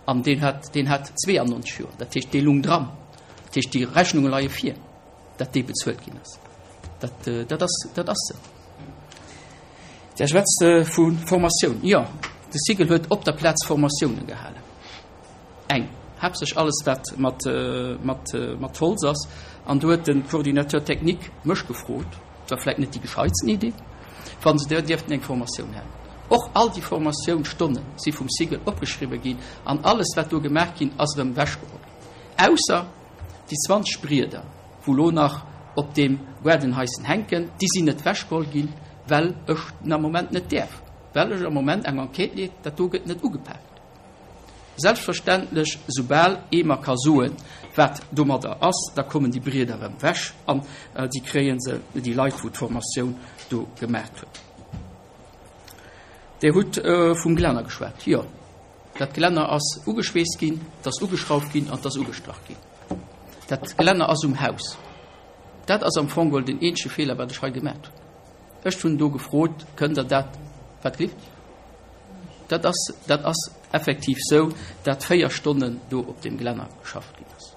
An deen hat, deen hat 92 Joer, dat heescht, dee lung dran. Dat heescht, déi Rechnunge leie vir, datt dee bezuelt ginn ass. Dat, dat ass, dat ass esou. Där schwätzt vu Formatioun. Jo, de Cigl huet op der Plaz Formatiounen gehalen. Eng, haaptsächlech alles wat mat, mat, mat Holz ass. An do huet de Coordinateur technique mech gefrot, dat war vläicht net déi gescheitsten Idee, wa se do dierften eng Formatioun halen. Och all déi Formatiounsstonne si vum Cigl opgeschriwwen ginn an alles wat do gemaach ginn ass erëm ewechgeholl ginn, ausser déi 20 Brieder, wou lo nach op deem Gaardenhaischen hänken, déi sinn net ewechgeholl ginn, well ech den am Moment net däerf, well ech am Moment eng Enquête leed, dat do gëtt net ugepaakt. Selbstverständlech, soubal ee mer ka soen, wat domadder ass, da kommen déi Brieder erëm ewech an déi kréie se, déi Leit, wou d'Formatioun do gemaacht hunn. Dir hutt vum Glänner geschwat. Jo, dat Glänner ass ugeschweesst ginn, 't ass ugeschrauft ginn an 't ass ugestrach ginn. Dat Gelänner ass um Haus. Dat ass am Fong geholl den eenzege Feeler, wat ech hei gemat hunn. Ech hunn do gefrot, Kënnt Der dat, wat gelift? Dat ass, dat ass effektiv sou, dat 4 Stonnen do op deem Gelänner geschafft ginn ass.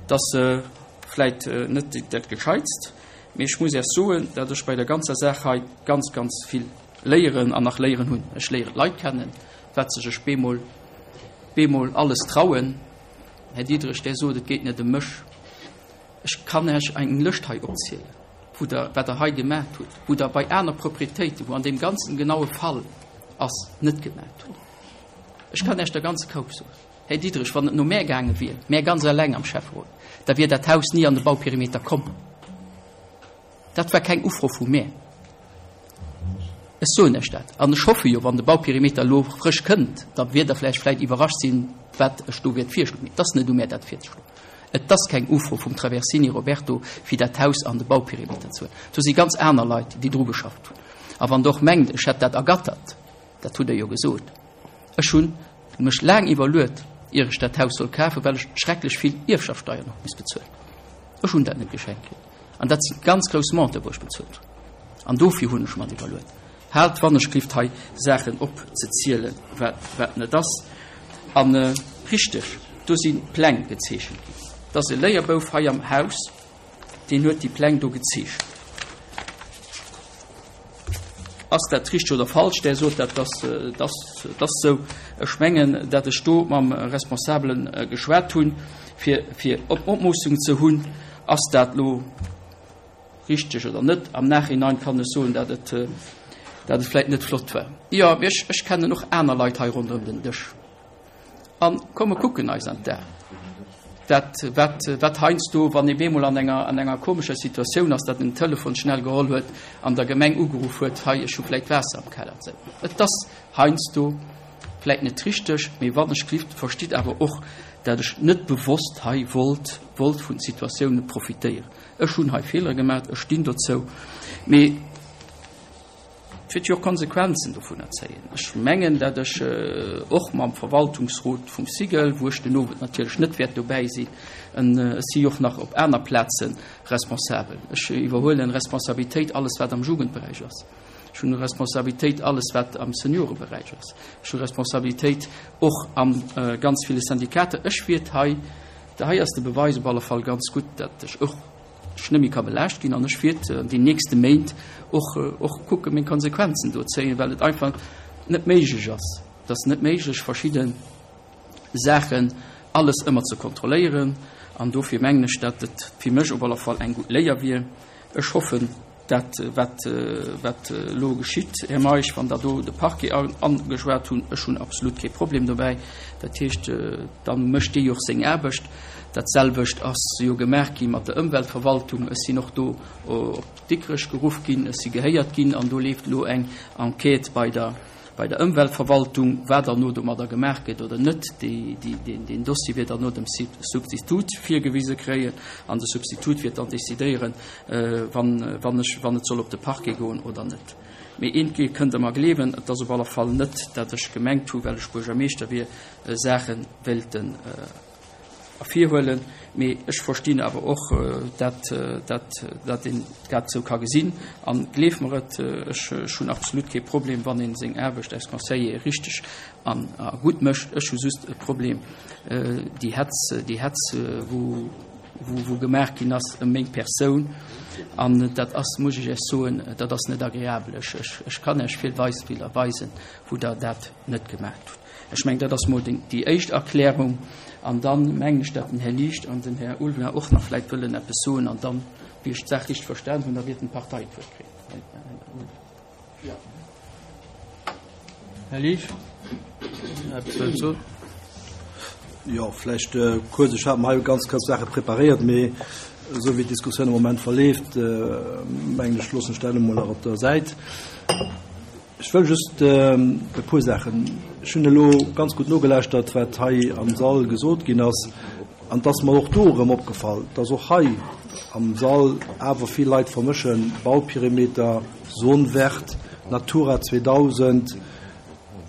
Dat ass vläit net dat Gescheitst, mee ech muss Iech soen, dat ech bei der ganzer Saach hei ganz, ganz vill léieren an nach léieren hunn. Ech léieren d'Leit kennen, wat sech ech bemol, bemol alles trauen. Här Diderich, Der sot, et geet net ëm mech. Ech kann Iech eng Lëscht hei opzielen, wou Der, wat Der hei gemaacht hutt, wou Der bei aner Proprietéiten, wou an deem ganzen genaue Fall ass, net gemaacht hutt. Ech kann Iech der ganze Koup soen. Här Diderich, wann et no mär gaange wier, mär ganz eleng am Schäfferot, da wier dat Haus ni an de Bauperimeter komm. Dat war keng Ufro vu mär. Ech soen Iech dat. An ech hoffe jo, wann de Bauperimeter elo frësch kënnt, da wiert Der vläicht vläicht iwwerrascht sinn, wat ech do wäert virschloen. Mee et ass net u mär, dat virzeschloen. Et ass keng Ufro vum Traversini Roberto, fir dat Haus an de Bauperimeter ze huelen. Do si ganz aner Leit, déi dru geschafft hunn. A wann Der och mengt, ech hätt dat ergattert, dat hutt Der jo gesot. Ech hunn mech laang iwwerluet, ier ech dat Haus soll kafen, well ech schrecklech vill Ierfschaftssteiern och misst bezuelen. Ech hunn dat net geschenkt kritt. An dat si ganz grouss Monte wou ech bezuelt hunn. An dofir hunn ech mer iwwerluet, haalt wannechgelift hei Saachen opzezielen, wat wat net ass. An richteg, do si Pläng gezeechent ginn. Et ass e Léierbouf hei am Haus, deen huet déi Pläng do gezeechent. Ass dat richteg oder falsch? Där sot, dat ass, dat ass esou. Ech mengen, dat ech do mam Responsabele geschwat hunn, fir, fir Opmoossung ze hunn. Ass dat elo richteg oder net? Am Nachhinein kann ech soen, dat et, dat et vläicht net flott war. Jo, mee ech, ech kennen och aner Leit hei ronderëm den Dësch. An komm, mer kucken eis an d'Aen. Dat, wat, wat heiansdo, wann ee bemol an enger, an enger komescher Situatioun ass, datt en den Telefon schnell geholl huet an der Gemeng ugeruff huet, hei, ech hu vläicht Waasser am Keller. Esou. Et ass heiansdo vläicht net richteg, mee wann ech gelift, verstitt awer och, dat ech net bewosst hei wollt, wollt vun Situatioune profitéieren. Ech hunn hei Feelere gemaach, ech stinn dozou, mee Et wäert jo och Konsequenzen dovunner zéien. Ech mengen, dat ech och mam Verwaltungsrot vum SIGEL, wou ech den Owend natierlech net wäert dobäi sinn, ech si jo och nach op aner Plaze responsabel, ech iwwerhuelen Responsabilitéit alles wat am Jugendberäich ass, ech hunn Responsabilitéit alles wat am Senioreberäich ass, ech hu Responsabilitéit och a ganz ville Syndikater. Ech wäert hei, hei ass de Beweis op alle Fall ganz gutt, dat ech och, ech net méi ka belaascht ginn an ech wiert an den nächste Méint och och kucke meng Konsequenzen do zéien, well et einfach net méiglech ass. Et ass net méiglech verschidde Saachen alles ëmmer ze kontrolléieren an dofir mengen ech, dat et fir mech op alle Fall eng gutt Léier wier. Ech hoffen, Dat, wat, wat elo geschitt, Här Meisch, wann Der do de Parquet ageschwat hunn, ech hunn absolut kee Problem dobäi. Dat heescht, da mécht dee jo och seng Aarbecht. Dat selwecht ass jo gemaach gi mat der Ëmweltverwaltung. Ech sinn och do op Dikrech geruff ginn, ech si gehéiert ginn an do leeft elo eng Enquête bei der, bei der Ëmweltverwaltung, wat derno domadder gemaach gëtt oder net, deen Dossier wier derno dem Substitut virgewise kréien an de Substitut wier dann decidéieren, wann ech, wann et soll op de Parquet goen oder net. Mee eent kënnt Der mer gleewen, et ass op alle Fall net, dat ech gemengt hu well ech Buergermeeschter wier, Saache wéilten ervirhuelen, mee ech verstinn awer och, dat, dat, dat een dat esou ka gesinn. An gleef mer et, ech, ech hunn absolut kee Problem, wann ee seng Aarbecht als Conseiller richteg an a gutt mécht. Ech hu just e Problem, déi Hetz, déi Hetz, wou, wou, wou gemaach ginn ass ëm meng Persoun. An dat ass, muss ech Iech soen, dat ass net agreabel. Ech, ech, ech kann Iech vill Beispiller weisen, wou Der dat net gemaacht hutt. Ech mengen, dat ass mol déi éischt Erklärung. An dann mengen ech, datt den Här Liecht an den Här Ulveling och nach vläicht wëllen eppes soen. An dann, wéi ech d'Saach richteg verstan hunn, da wäerten d'Parteien d'Wuert kréien. Här Liesch, eppes wëllt soen? Jo, vläicht kuerz. Ech hat mer hei ganz kuerz Saache preparéiert, mee esou wéi d'Diskussioun am Moment verleeft, mengen ech, loossen ech dat elo mol nach op der Säit. Ech wëll just e puer Saachen. Ech hunn elo ganz gutt nogelauschtert, wat hei am Sall gesot ginn ass. An et ass mer och do erëm opgefall, dass och hei am Sall awer vill Leit vermëschen, Bauperimeter, Zone verte, Natura 2000,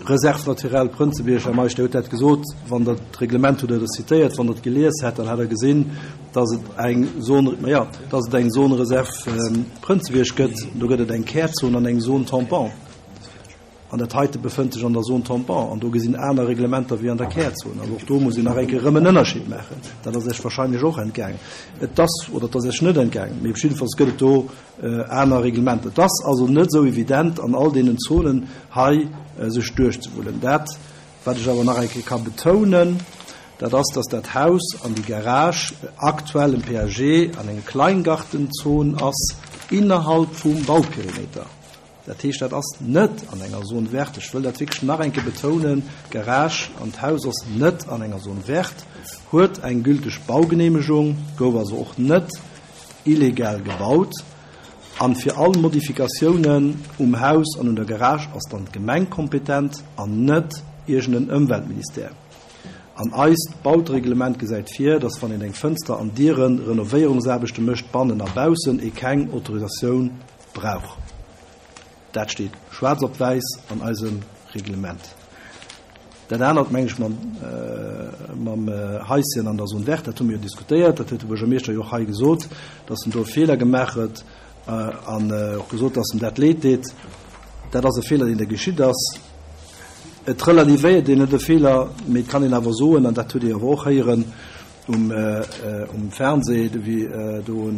Réserve naturelle Prënzebierg. Här Meisch, Dir hutt dat gesot. Wann Der d'Reglement hutt Der dat zitéiert. Wann Der et gelies hätt, dann hätt Der gesinn, dass et eng Zone, ma ja, dass et eng Zone réserve Prënzebierg gëtt. Do gëtt et eng Kärzon an eng Zone tampon. An dat heite befënnt sech an der Zone tampon. An do gesinn aner Reglementer wéi an der Kärzon. Also och do muss een nach eng Kéier erëm en Ënnerscheed maachen. Dat ass Iech wahrscheinlech och entgaangen. Et ass, oder et ass Iech net entgaangen, mee op jiddefalls gëtt et do aner Reglementer. Et ass also net esou evident an all deenen Zonen hei sech duerchzewullen. Dat, wat ech awer nach eng Kéier ka betounen, Dat ass, dass dat Haus an déi Garage aktuell en PAG an eng Kleingartenzon ass innerhalb vum Bauperimeter. Dat heescht, dat ass net an enger Zone verte. Ech wëll dat wierklech nach eng Kéier betounen, D'Garage an d'Haus ass net an enger Zone verte, huet eng gülteg Baugenehmegung, gouf also och net illegal gebaut. An fir all Modifikatiounen um Haus an un der Garage ass dann d'Gemeng kompetent an net iergend en Ëmweltministère. An eist Bautereglement gesäit vir, dass wann een eng Fënster an Dieren Renovéierungsaarbechte mécht, bannen a baussen, ee keng Autorisatioun brauch. Dat steet schwaarz op wäiss an eisem Reglement. Dat anert, meng ech, mam Haischen an der Zone verte, dat hu mir jo diskutéiert, dat huet de Buergermeeschter jo och hei gesot, dass en do e Feeler gemaach huet an och gesot, dass em dat leed deet. Dat ass e Feeler, deen da geschitt ass. Et relativéiert een net e Feeler, mee et kann een awer soen, an dat hutt Dir awer och héieren um Fernseh, wéi do e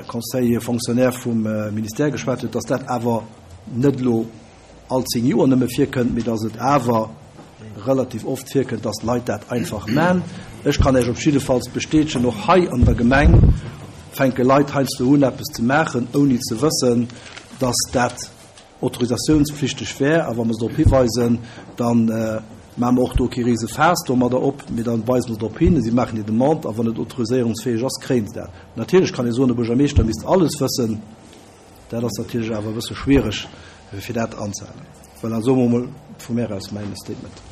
Conseiller fonctionnaire vum Ministère geschwat huet, datt dat awer net elo all 10 Joer nëmme virkënnt, mee datt et awer relativ oft virkënnt, datt Leit dat einfach man. Ech kann Iech op jiddefalls bestätegen, och hei an der Gemeng fänke Leit heiansdo un eppes ze maachen, ouni ze wëssen, datt dat autorisatiounspflichteg wär, a wa mer se drop hiweisen, da maache mer och do kee rise Faass domadder op, mee da weise mer se drop hin, si maachen déi Demande, a wann et autoriséierungsfäeg ass, kréien se dat. Natierlech kann ee soen, de Buergermeeschter misst alles wëssen. Dat ass natierlech awer e bësse schwiereg, fir dat anzehalen. Voilà, soe mer emol vu mär aus mäin Statement.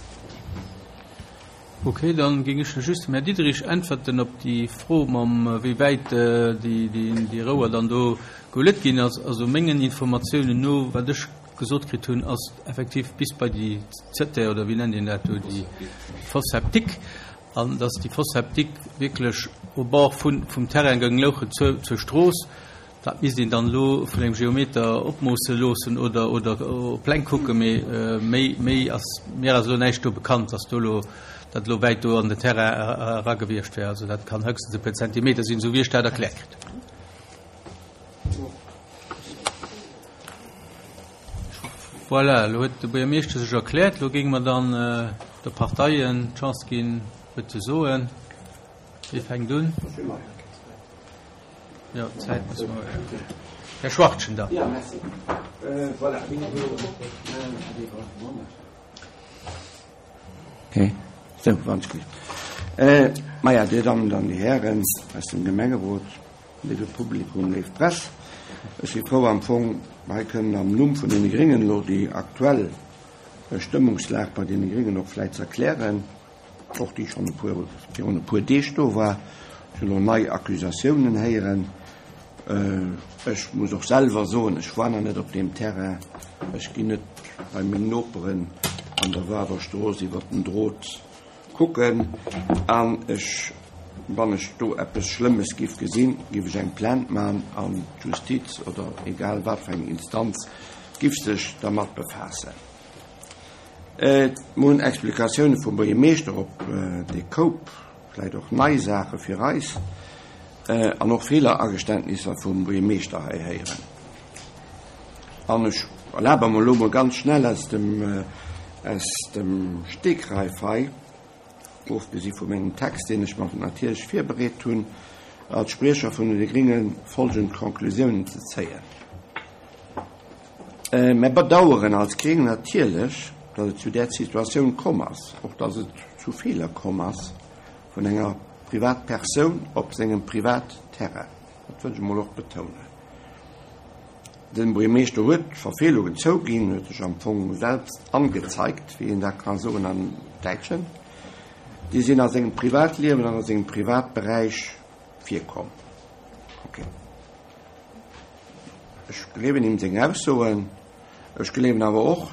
Ok, dann géing ech just dem Här Diderich äntwerten op déi Fro mam wéi wäit déi Rouer dann do gehulet ginn ass. Also mengen Informatiounen no, wat ech gesot kritt hunn, ass effektiv bis bei déi Zëtter oder wéi nennt een dat do, déi Fosse septique, an dass déi Fosse septique wierklech au bord vum Terrain goung louche zur Strooss. Dat misst een dann elo vun engem Geometer opmoosse loossen oder oder op Pläng kucken, mee méi méi ass mir ass elo näischt do bekannt, dass do elo dat elo wäit do an den Terrain era gewiescht wär. Also dat kann höchstens e puer Zentimeter sinn, esou wéi ech dat erkläert kritt hunn. Voilà, elo huet de Buergermeeschter sech erkläert. Elo géinge mer dann de Parteien d'Chance ginn, huet ze soen. Wie fänkt un? Jo, Zäit muss mer. Här Schwachtgen da. Ja, merci. Voilà. Okay. Sou, wann ech gutt. Maja, Dir Dammen an Dir Hären aus dem Gemengerot, léiwe Publikum, léif Press, ech si frou am Fong hei kënnen am Numm vun deene Gréngen elo déi aktuell Stëmmungslag bei deene Gréngen och vläit ze erklären. och déi schonn e puer, virun e puer Deeg do war. Ech hunn elo nei Accusatiounen héieren. Ech muss och selwer soen, ech war nach net op deem Terrain. Ech ginn net bei meng Noperen an der Wawerstrooss iwwer den Drot kucken. An ech, wann ech do eppes Schlëmmes giff gesinn, giff ech eng Plainte man an d'Justiz oder egal wat fir eng Instanz giff sech dermat befaassen. Mir hunn Explikatioune vum Buergermeeschter op dee Koup, vläicht och nei Saache fir eis. An och Feelerageständnisser vum Buergermeeschter hei héieren. An ech erlabe mer elo mol ganz schnell aus dem, aus dem Stegreif hei, ofgesi vu mengem Text, deen ech mer natierlech virbereet hunn, als Spriecher vun de Gringe folgend Konklusiounen ze zéien. Mär bedaueren als Gréng natierlech, datt et zu där Situatioun komm ass, och datt et zu Feeler komm ass vun enger Privatpersoun op sengem Privatterrain. Dat wëll ech emol och betounen. De Buergermeeschter huet d'Verfeelungen zouginn, huet sech am Fong selbst angezeigt, wéi een dat ka soen am Däitschen. Déi sinn a sengem Privatliewen an a sengem Privatberäich virkomm. Okay. Ech gleewen him seng Aussoen. Ech gleewen awer och,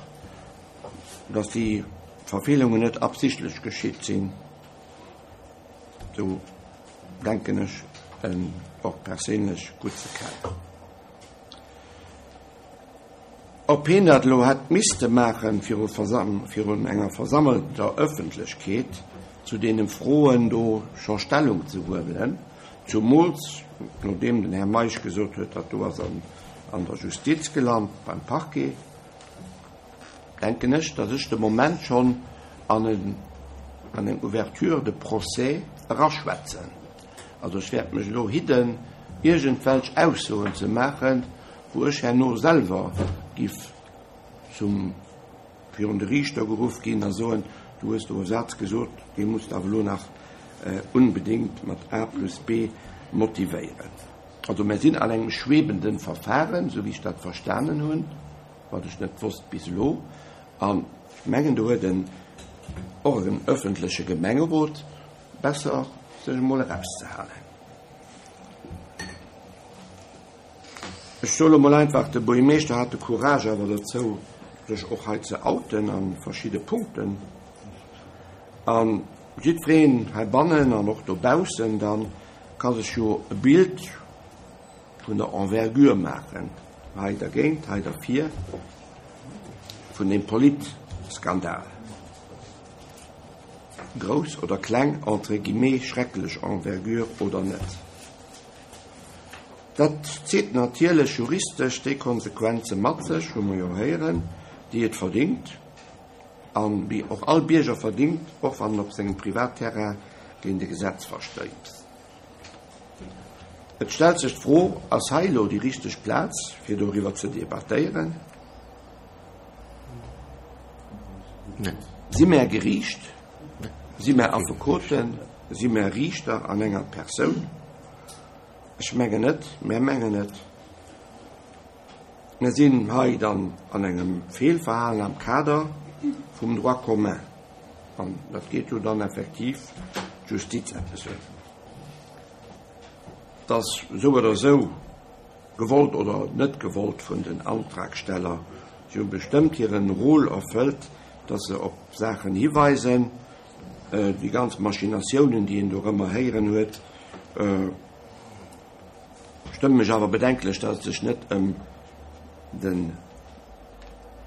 datt déi Verfeelungen net absichtlech geschitt sinn. Sou denken ech en och perséinlech gutt ze kennen. Ob hien dat elo hätt misste maachen viru virun enger versammelter Ëffentlechkeet zu deene Froen do scho Stellung ze huelen, zumools nodeem den Här Meisch gesot huet, dat do ass an der Justiz gelant, beim Parquet, denken ech, datt ech de Moment schonn an an eng Ouverture de procès eraschwätzen. Also ech wäert mech elo hidden, iergendwelch Aussoen ze maachen, wou ech herno selwer giff zum virun de Riichter geruff ginn a soen, du hues do e Saz gesot, dee muss de awer elo nach unbedéngt mat A plus B motivéieren. Also mär sinn an engem schwebenden Verfahren, esou wéi ech dat verstanen hunn, wat ech net wosst bis elo, an ech mengen do huet en och en öffentleche Gemengerot besser sech emol erauszehalen. Ech soe lo mol einfach, de Buergermeeschter hat de Courage awer dozou, sech och hei ze outen a verschidde Punkten. A jiddwereen heibannen an och dobaussen dann ka sech jo e Bild vun der Envergure maachen, hei dergéint, hei derfir, vun deem Politskandal. Grouss oder kleng, entre guillemets, schrecklech Envergure oder net. Dat zitt natierlech juristesch déi Konsequenze mat sech, hu mer jo héieren, déi et verdingt an déi och all Bierger verdingt, och wann en op sengem Privatterrain géint e Gesetz verstéisst. Et stellt sech d'Fro, Ass hei elo déi richteg Plaz, fir doriwwer ze debattéieren? Si mär Geriicht? Si mär Affekoten? Si mär Riichter an enger Persoun? Ech mengen net, mär mengen net. Mär sinn hei dann an engem Feelverhalen am Kader vum Droit commun. An dat geet jo dann effektiv d'Justiz eppes un. Dass esou oder esou, gewollt oder net gewollt vun den Antragsteller, si hu bestëmmt hiren Rôle erfëllt, dass se op Saachen hiweisen, Déi ganz Machinatiounen, déi een dorëmmer héieren huet, stëmmen mech awer bedenklech, datt et sech net ëm de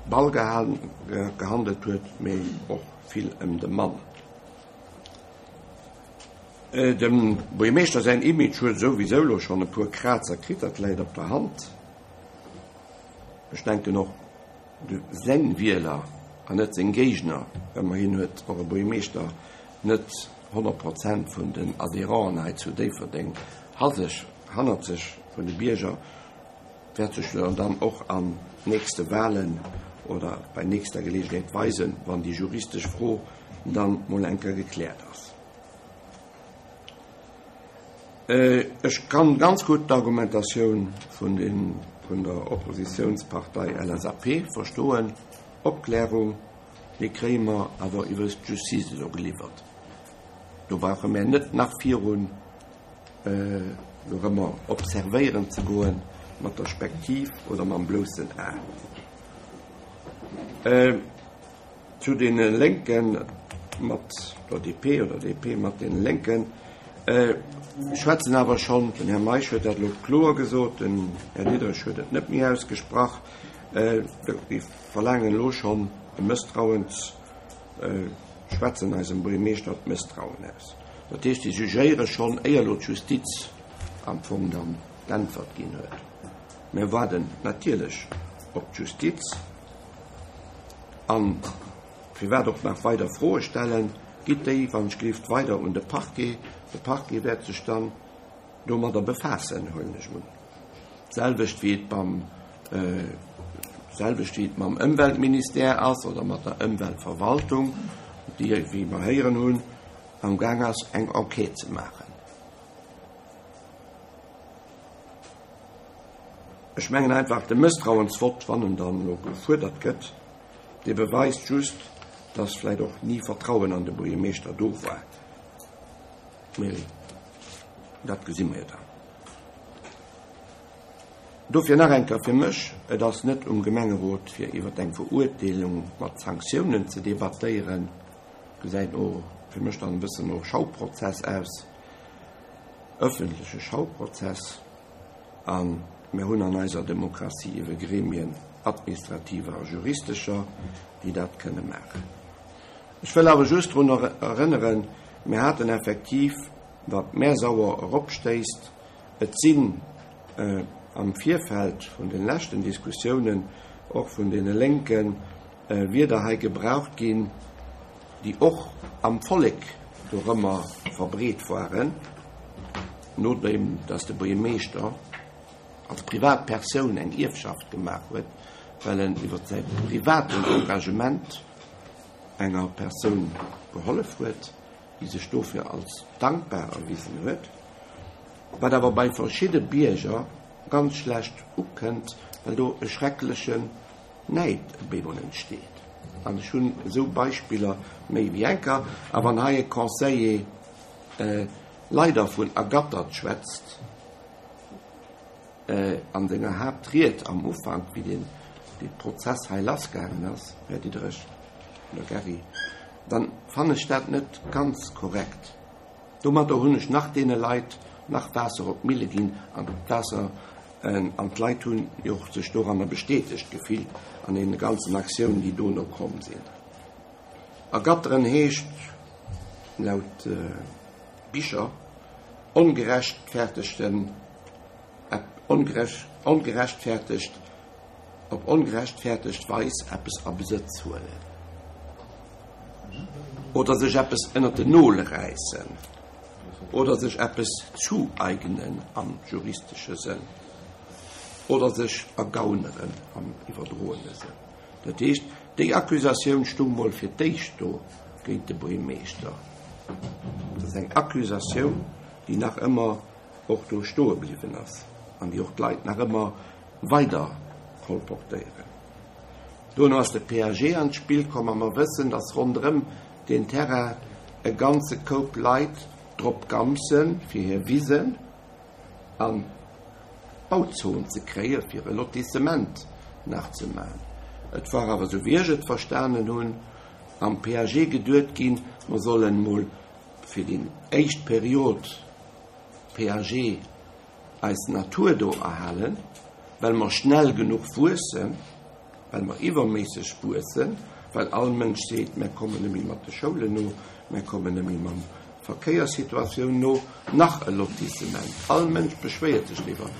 Ball gehandelt huet, mee och vill ëm de Mann. Dem Buergermeeschter säin Image huet souwisou elo schonn e puer Krazer kritt, dat läit op der Hand. Ech denken och, Seng Wieler an net seng Géigner, ëmmerhin huet och e Buergermeeschter net 100 Prozent vun den Adhérenten hei zu Déifferdeng hannert sech, vun de Bierger, wäert sech jo dann och an nächste Wahlen oder bei nächster Gelegenheet weisen, wann déi juristesch Fro dann mol eng Kéier gekläert ass. Ech kann ganz gutt d'Argumentatioun vun der Oppositiounspartei LSAP verstoen. Opklärung, déi kréie mer awer iwwert d'Justice elo geliwwert. Do brauche mär net nach virun dorëmmer observéieren ze goen mat der Spektiv oder mam bloussen A. Zu deene Lénken mat der DP oder DP mat deene Lénken schwätzen awer schonn, den Här Meisch huet dat elo kloer gesot, den Här Diderich huet et net méi ausgesprach, déi verlaangen elo schonn e Mësstrauens, schwätzen eisem Buergermeeschter d'Mësstrauen aus. Dat heescht, déi jugéiere schonn, éier elo d'Justiz. am Fong dann d'Äntwert ginn huet. Mir waarden natierlech op d'Justiz. An firwat och nach weider Froe stellen, gitt déi wann ech gelift weider un de Parquet. De Parquet wäert sech dann domadder befaassen, huelen ech un. D'selwecht wéi et beim, d'selwecht wéi et mam Ëmweltministère ass oder mat der Ëmweltverwaltung, déi, wéi mer héieren hunn, am Gaang ass eng Enquête ze maachen. Ech mengen einfach, de Mësstrauensvott, wann en dann elo gefuerdert gëtt, dee beweist just, dass vläicht och ni Vertrauen an de Buergermeeschter do war. Mee dat gesi mer jo dann. Dofir nach eng Kéier fir mech, Et ass net um Gemengerot, fir iwwer eng Verurteelung mat Sanktiounen ze debattéieren. Gesäit no fir mech dann e bëssen no Schauprozess aus, ëffentleche Schauprozess. A mir hunn an eiser Demokratie iewe Gremien, administrativer a juristescher, déi dat kënne maachen. Ech wëll awer just drun erënneren, mir haten effektiv, wat mär sauer eropstéisst, et sinn am Virfeld vun de leschten Diskussiounen och vun deene Lénken Wierder hei gebraucht ginn, déi och am Vollek dorëmmer verbreet waren, nodeem datt de Buergermeeschter als Privatpersoun eng Ierfschaft gemaach huet, well en iwwer säi privaten Engagement enger Persoun gehollef huet, déi sech dofir als dankbar erwisen huet, wat awer bei verschidde Bierger ganz schlecht ukënnt, well do e schrecklechen Näid op eemol entsteet. An ech hunn esou Beispiller méi wéi eng Kéier. A wann hei e Conseiller leider vun ergattert schwätzt, an senger Haaptried am Ufank, wéi deen dee Prozess hei lassgaangen ass, Här Diderich oder Gary, dann fannen ech dat net ganz korrekt. Domadder hunn ech nach deene Leit nach Waasser op d'Mille ginn an d'Waasser an d'Leit hunn jo och sech doranner bestätegt gefillt an deene ganzen Aktiounen, déi dono komm sinn. Ergatteren heescht laut Bicher ongerechtfertegten, ongerechtfertegt, op ongerechtfertegt Weis eppes a Besëtz huelen oder sech eppes ënnert den Nol räissen oder sech eppes zueignen am juristesche Sënn oder sech ergauneren am iwwerdroene Sënn. Dat heescht, déi Accusatioun stung mol fir d'éischt do géint de Buergermeeschter. Dat ass eng Accusatioun, déi nach ëmmer och do stoe bliwwen ass an déi och d'Leit nach ëmmer weider kolportéieren. Dono ass de PAG an d'Spill komm a mer wëssen, dass ronderëm deen Terrain e ganze Koup Leit drop gampsen, fir hir Wisen an d'Bauzon ze kréie fir e Lotissement nach ze maachen. Et war awer, esou wéi ech et verstanen hunn, am PAG geduet ginn, mer sollen emol fir déi éischt Period PAG eis Natur do erhalen, well mer schnell genuch wuessen, well mer iwwerméisseg wuessen, well all Mënsch seet, mär kommen net méi mat de Schoulen no, mär kommen net méi mam Verkéierssituatioun no, nach e Lotissement. All Mënsch beschwéiert sech driwwer.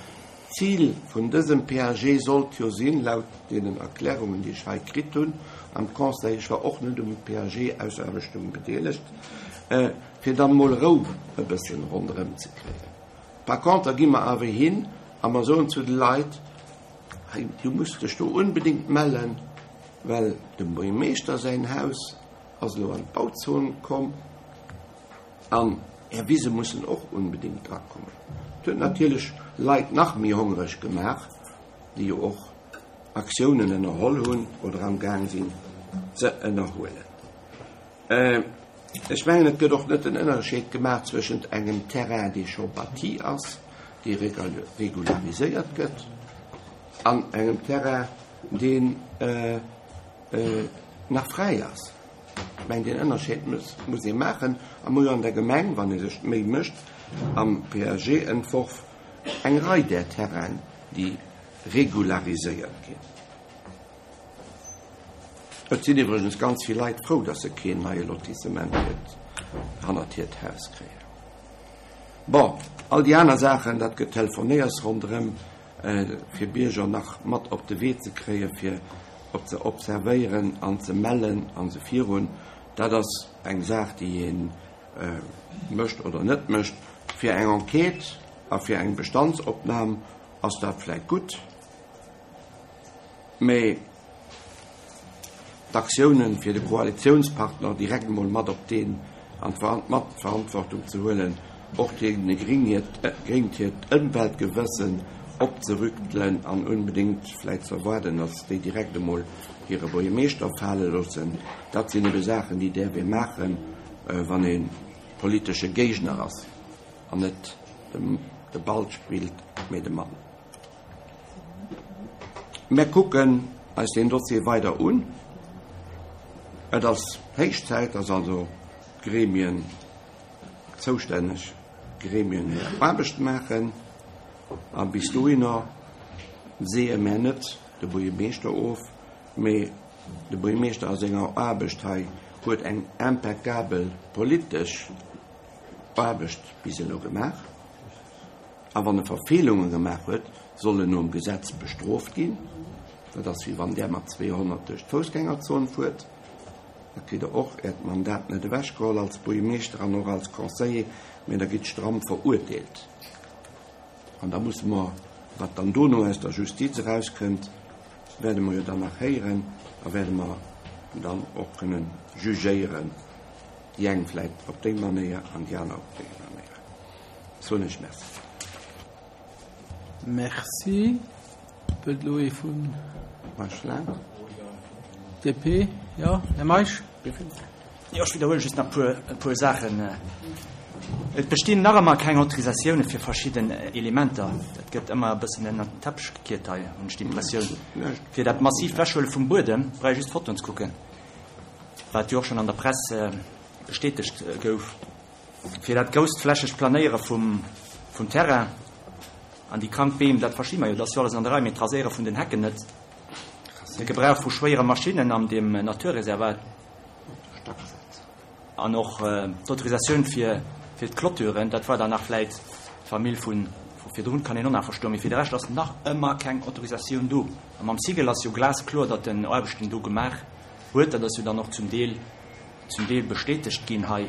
D'Zil vun dësem PAG sollt jo sinn, laut deenen Erklärungen, déi ech hei kritt hunn am Conseil, ech war och net um PAG-Ausaarbechtung bedeelegt, fir dann emol Rou e bëssen ronderëm ze kréien. Par contre gi mer awer hin a mer soen zu de Leit, hei, du muss dech do unbedéngt mellen, well dem Buergermeeschter säin Haus ass elo an d'Bauzon komm an Är Wise mussen och unbedéngt drakommen. Dat huet natierlech Leit nach méi hongereg gemaach, déi jo och Aktiounen ënnerholl hunn oder amgaang sinn ze ënnerhuelen. Ech mengen, et gëtt och net den Ënnerscheed gemaach zwëschent engem Terrain, dee scho bâti ass, dee regulariséiert gëtt, an engem Terrain, deen nach fräi ass. Ech mengen, deen Ënnerscheed muss ee maachen. A mer hu jo an der Gemeng, wann ee sech d'Méi mécht, am PAG-Entworf eng Rei där Terrainen, déi regulariséiert ginn. Et sinn iwwregens ganz vill Leit frou, datt se keen neie Lotissement hannert hiert Haus kréien. Bon, all déi aner Saachen, dat gëtt Telefonéiers ronderëm, fir Bierger nach mat op de Wee ze kréien, fir op ze observéieren an ze mellen an esou virun. Dat ass eng Saach, déi ee mécht oder net mécht. Fir eng Enquête a fir eng Bestandsopnam ass dat vläicht gutt, mee d'Aktiounen, fir de Koalitionspartner direkt emol mat op deen an mat d'Verantwortung ze huelen, och deene Gréng hiert Ëmweltgewëssen opzerüttelen an unbedéngt vläicht ze erwaarden, datt déi direkt emol hire Buergermeeschter fale loossen, dat sinn ebe Saachen, déi däerf ee maachen, wann ee politesche Géigner ass an net de Ball spillt, mee de Mann. Mär kucken eis deen Dossier weider un. Et ass héich Zäit, dass also d'Gremien, zoustänneg Gremien hir Aarbecht maachen. A bis dohinner seeë mär net de Buergermeeschter of, mee de Buergermeeschter a senger Aarbecht hei huet eng impeccabel politesch Aarbecht bis elo gemaach. A wann e Verfeelunge gemaach huet, soll en nom Gesetz bestrooft ginn. Dat ass wéi wann där mat 200 duerch d'Foussgängerzon fuert. Da kritt der och äert Mandat net ewechgeholl als Buergermeeschter an och als Conseiller, mä da gitt stramm verurteelt. An da musse mer, wat dann dono aus der Justiz erauskënnt, wäerte mer jo dann nach héieren a wäerte mer dann och kënne jugéieren, déi eng vläicht op déi Manéier an déi aner op déi Manéier. Soen ech Merci. Merci. Wëllt elo ee vun DP? Jo, Här Meisch. Jo, ech widderhuele just nach e puer Saachen. Et bestinn nach ëmmer keng Autorisatioune fir verschidden Elementer. Dat gëtt ëmmer e bëssen ënnert den Teppech gekiert hei, hunn ech d'Impressioun. Fir dat massiivt Wechhuele vum Buedem brauch ee just d'Fotoen ze kucken, wat jo och schonn an der Press bestätegt gouf. Fir dat grousstflächegt Planéiere vum Terrain an déi krank Beem, dat versti mer jo, dat ass jo alles an der Rei, mee d'Raséiere vun den Hecken net, de Gebrauch vu schwéiere Maschinnen an deem Naturreservat an och d'Autorisatioun fir d'Clôturen, dat war dann nach vläit d'Famill vu virdrun, kann een och nach verstoen, mee fir de Rescht ass nach ëmmer keng Autorisatioun do. A mam Sigel ass jo glaskloer, datt en Aarbechten do gemaach huet, dat ass jo dann och zum Deel zum Deel bestätegt ginn hei,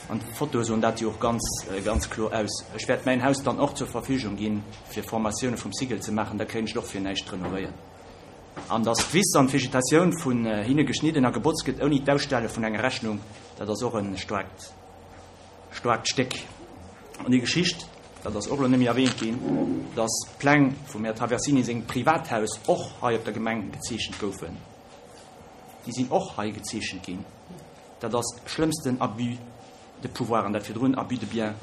an d'Fotoe soen dat jo och ganz, ganz kloer aus. Ech wäert mäin Haus dann och zur Verfügung ginn, fir Formatioune vum Sigel ze maachen, da kréien ech et och fir näischt renovéiert. An datt d'Wiss an d'Vegetatioun vun hinne geschnidden a gebotzt gëtt, ouni d'Ausstelle vun enger Rechnung, dat ass och e staarkt, staarkt Stéck. An déi Geschicht, dat ass och elo net méi erwähnt ginn, datt d'Pläng vum Här Traversini sengem Privathaus och hei op der Gemeng gezeechent goufen. Déi sinn och hei gezeechent ginn. Dat ass schlëmmsten Abus de pouvoir an dat virdrun Abus de biens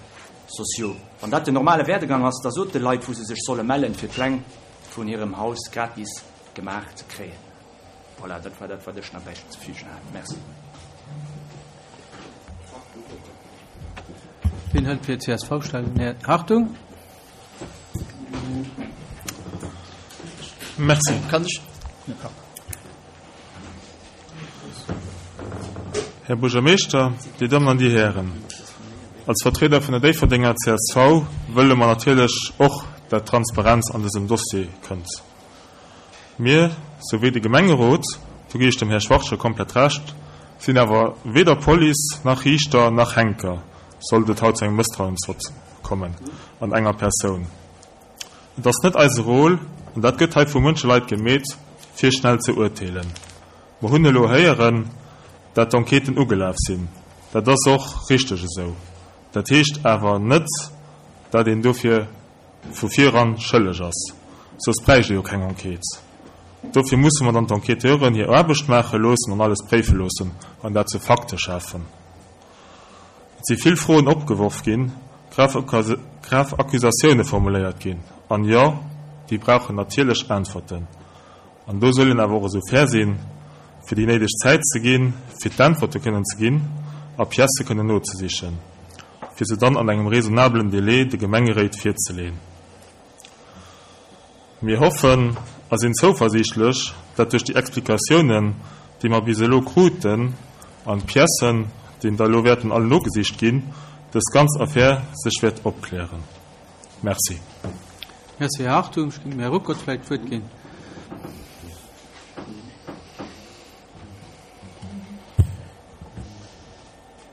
sociaux. Wann dat den normale Werdegang ass, da sot de Leit, wou se sech solle mellen, fir d'Pläng vun hirem Haus gratis gemaach ze kréien. Voilà, dat war dat, wat ech nach bäizefügen hat. Merci. Wien hëlt fir d'CSV Stellung? Här Hartung. Merci. Kann ech? Här Buergermeeschter, Dir Dammen an Dir Hären, als Vertrieder vun der Déifferdenger csv wëlle mer natierlech och, dat Transparenz an dësem Dossier kënnt. Mir, souwéi de Gemengerot, do ginn ech dem Här Schwachtgen komplett Recht, sinn awer weder Police nach Riichter nach Henker, sollt et haut zu engem Mësstrauensvott kommen an enger Persoun. Et ass net eise Rôle, an dat gëtt hei vu munche Leit gemeet, virschnell ze urteelen. Mer hunn elo héieren, dat d'Enquêten ugelaf sinn. Dat ass och richteg esou. Dat heescht awer net, dat een dofir vu viran schëlleg ass. Soss bräicht ee jo keng Enquête. Dofir musse mer dann d'Enquêteuren hir Aarbecht maache loossen an alles préife loossen an dat zu Fakte schafen. Et si vill Froen opgeworf ginn, grav Accusatioune formuléiert ginn. An jo, déi brauchen natierlech Äntwerten. An do soll een awer och esou fair sinn, fir déi néideg Zäit ze ginn, fir d'Äntwerte kënnen ze ginn a Piècë kënnen nozesichen, fir se dann an engem raisonnablen Délai de Gemengeréit virzeleeën. Mir hoffen a sinn zouversiichtlech, dat duerch déi Explikatiounen, déi mer bis elo kruten, an d'Piècen, déi da elo wäerten all nogesicht ginn, dës ganz Affär sech wäert opklären. Merci. Merci, Här Hartung. Ech géing dem Här Ruckert vläicht d'Wuert ginn.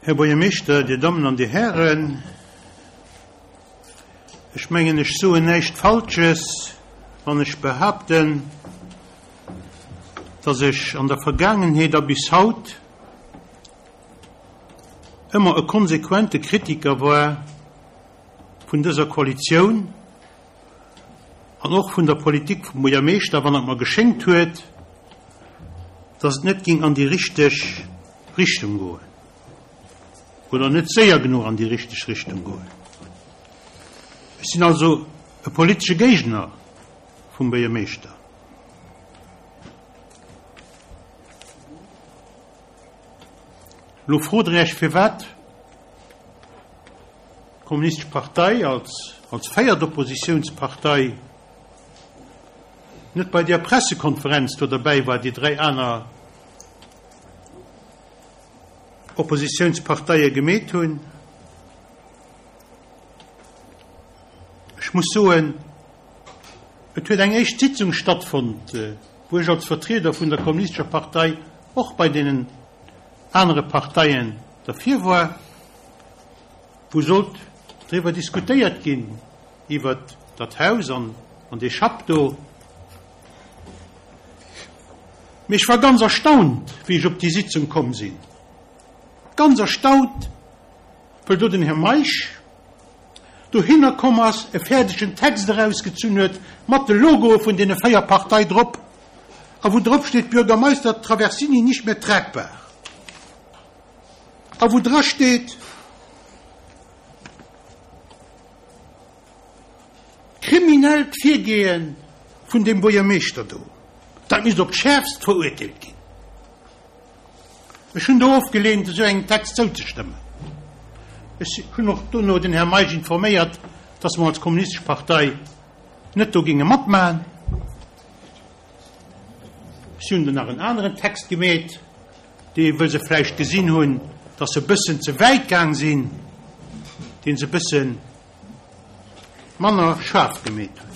Här Buergermeeschter, Dir Dammen an Dir Hären, ech mengen, ech soen näischt Falsches, wann ech behaapten, dass ech an der Vergaangenheet a bis haut ëmmer e konsequente Kritiker war vun dëser Koalitioun an och vun der Politik vum Buergermeeschter, wann et mer geschéngt huet, dass et net ging an déi richteg Richtung goen oder net séier genuch an déi richteg Richtung goen. Ech sinn also e politesche Géigner vum Buergermeeschter. Elo frot Der Iech, firwat d'Kommunistesch Partei als als véiert Oppositiounspartei net bei där Pressekonferenz do derbäi war, déi dräi aner Oppositiounsparteie gemeet hunn. Ech muss soen, et huet eng éischt Sitzung stattfonnt, wou ech als Vertrieder vun der Kommunistescher Partei och bei deenen anere Parteien derfir war, wou sollt driwwer diskutéiert ginn, iwwert dat Haus an dee Schapp do. Mee ech war ganz erstaunt, wéi ech op déi Sitzung komm sinn. Ganz erstaunt, well do den Här Meisch dohinner komm ass, e fäerdegen Text erausgezunn huet mat de Logoe vun deene 4 Partei drop a wou drop steet, Bürgermeister Traversini nicht mehr tragbar a wou dra steet, Kriminellt Virgeeë vun deem Buergermeeschter do, dat misst op d'Schäerfst verurteelt ginn. Ech hunn do ofgeleent, esou engem Text zouzestëmmen. Ech hunn och dono den Här Meisch informéiert, dass mer als Kommunistesch Partei net do géinge matmachen. Si hunn do nach en aneren Text gemeet, dee, wëll se vläicht gesinn hunn, dass se e bëssen ze wäit gaang sinn, dee se e bësse manner schaarf gemeet hunn.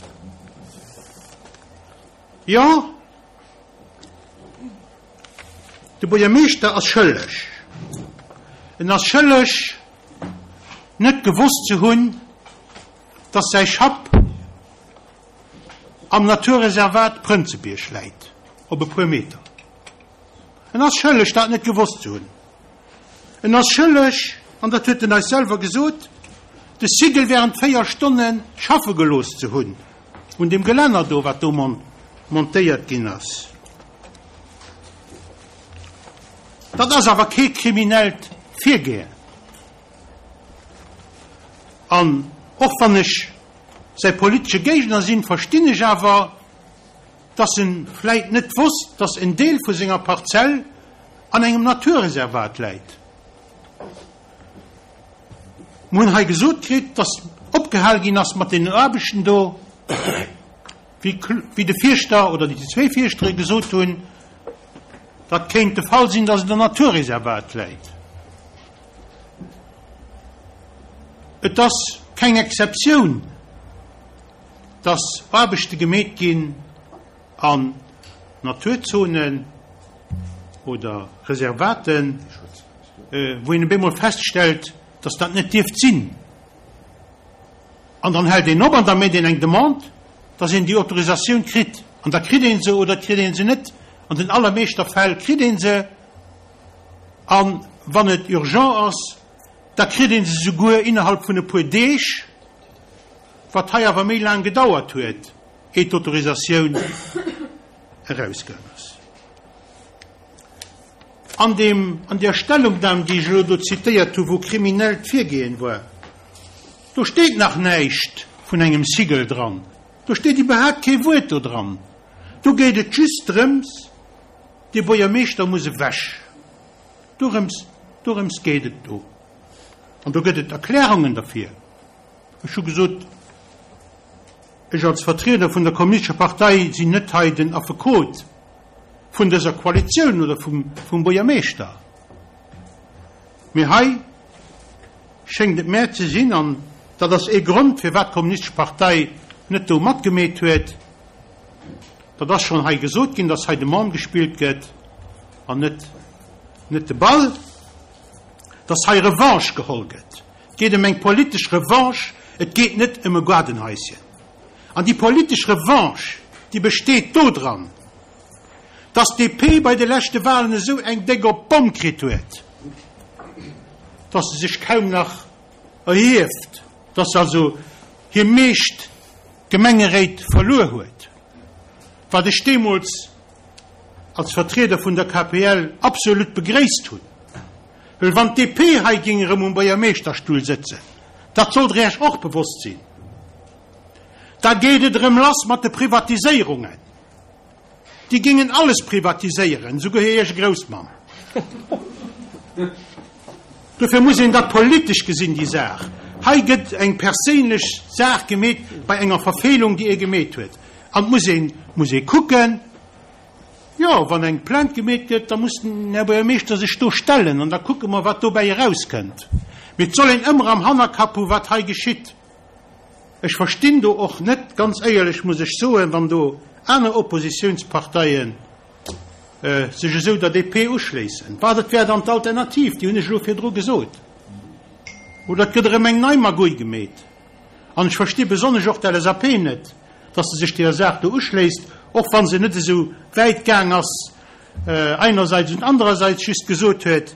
Jo, de Buergermeeschter ass schëlleg. En ass schëlleg, net gewosst ze hunn, dass säi Schapp am Naturreservat Prënzebierg läit, op e puer Meter. En ass schëlleg, dat net gewosst ze hunn. En ass schëlleg, an dat huet en eis selwer gesot, de Sigel während 4 Stonne schaffe gelooss ze hunn, un deem Gelänner do, wat do montéiert ginn ass. Dat ass awer kee kriminellt Virgehen. An och wann ech säi politesche Géigner sinn, verstinn ech awer, dass en vläit net wosst, dass en Deel vu senger Parzell an engem Naturreservat läit. Mer hunn hei gesot kritt, dass opgehal ginn ass mat deenen Aarbechten do, wéi de Fierschter oder déi zwee Fierschtere gesot hunn, dat kéint de Fall sinn, dass et am Naturreservat läit. Et ass keng Exceptioun, dass Aarbechte gemeet ginn an Naturzonen oder Reservaten, wou een op eemol feststellt, dass dat net dierft sinn. An dann hält een op an da mécht een eng Demande, dass een déi Autorisatioun kritt. An da kritt ee se oder et kritt ee se net. An den allermeeschter Fäll kritt ee se. A wann et urgent ass, da kritt ee se souguer innerhalb vun e puer Deeg. Wat hei awer méi laang gedauert huet, ehe d'Autorisatioun erausgaang ass. An deem, an där Stellungnam, déi ech elo do zitéiert hu wou kriminellt Virgehen war, do steet nach näischt vun engem Sigel dran. Do steet iwwerhaapt kee Wuert do dran. Do geet et just drëms, dee Buergermeeschter muss ewech. Dorëms, dorëms geet et do. An do gëtt et Erklärungen derfir. Ech hu gesot, ech als Vertrieder vun der Kommunistescher Partei sinn net hei den Affekot vun dëser Koalitioun oder vum Buergermeeschter, mee hei. schéngt et mär ze sinn, an dat ass ee Grond, firwat d'Kommunistesch Partei net do matgemeet huet, dat ass schonn hei gesot ginn, dass hei de Mann gespillt gëtt an net, net de Ball, dass hei Revanche geholl gëtt. Et geet ëm eng politesch Revanche, et geet net ëm e Gaardenhaischen. An déi politesch Revanche, déi besteet dodran, dass d'DP bei de leschte Wahlen esou eng déck op d'Bomm kritt huet, dass se sech kaum nach erhieft, dass se also hir meescht Gemengeréit verluer huet, wat ech deemools als Vertrieder vun der KPL absolut begréisst hunn. Well wann d'DP hei géing erëm um Buergermeeschterstull sëtzen, dat sollt Der Iech och bewosst sinn, da geet et erëm lass mat de Privatiséierungen. Déi géingen alles privatiséieren, esouguer hir eege Groussmamm. Dofir muss een dat politesch gesinn, déi Saach. Hei gëtt eng perséinlech Saach gemeet bei enger Verfeelung, déi ee gemeet huet. An et muss een, muss ee kucken, jo, wann eng Plainte gemeet gëtt, da muss den Här Buergermeeschter sech do stellen an da kucke mer, wat dobäi erauskënnt. Mee et soll een ëmmer am Hannerkapp hu wat hei geschitt. Ech verstinn do och net, ganz éierlech muss ech soen, wann do aner Oppositiounsparteie sech esou der DP uschléissen. Wat et wär dann d'Alternativ, déi hunn ech elo virdru gesot. Oder et gëtt erëm eng nei Magouille gemeet. An ech versti besonnesch och d'LSAP net, datt se sech deeër Saach do uschléisst, och wa se net esou wäit gaang ass einerseits und andererseits just gesot huet,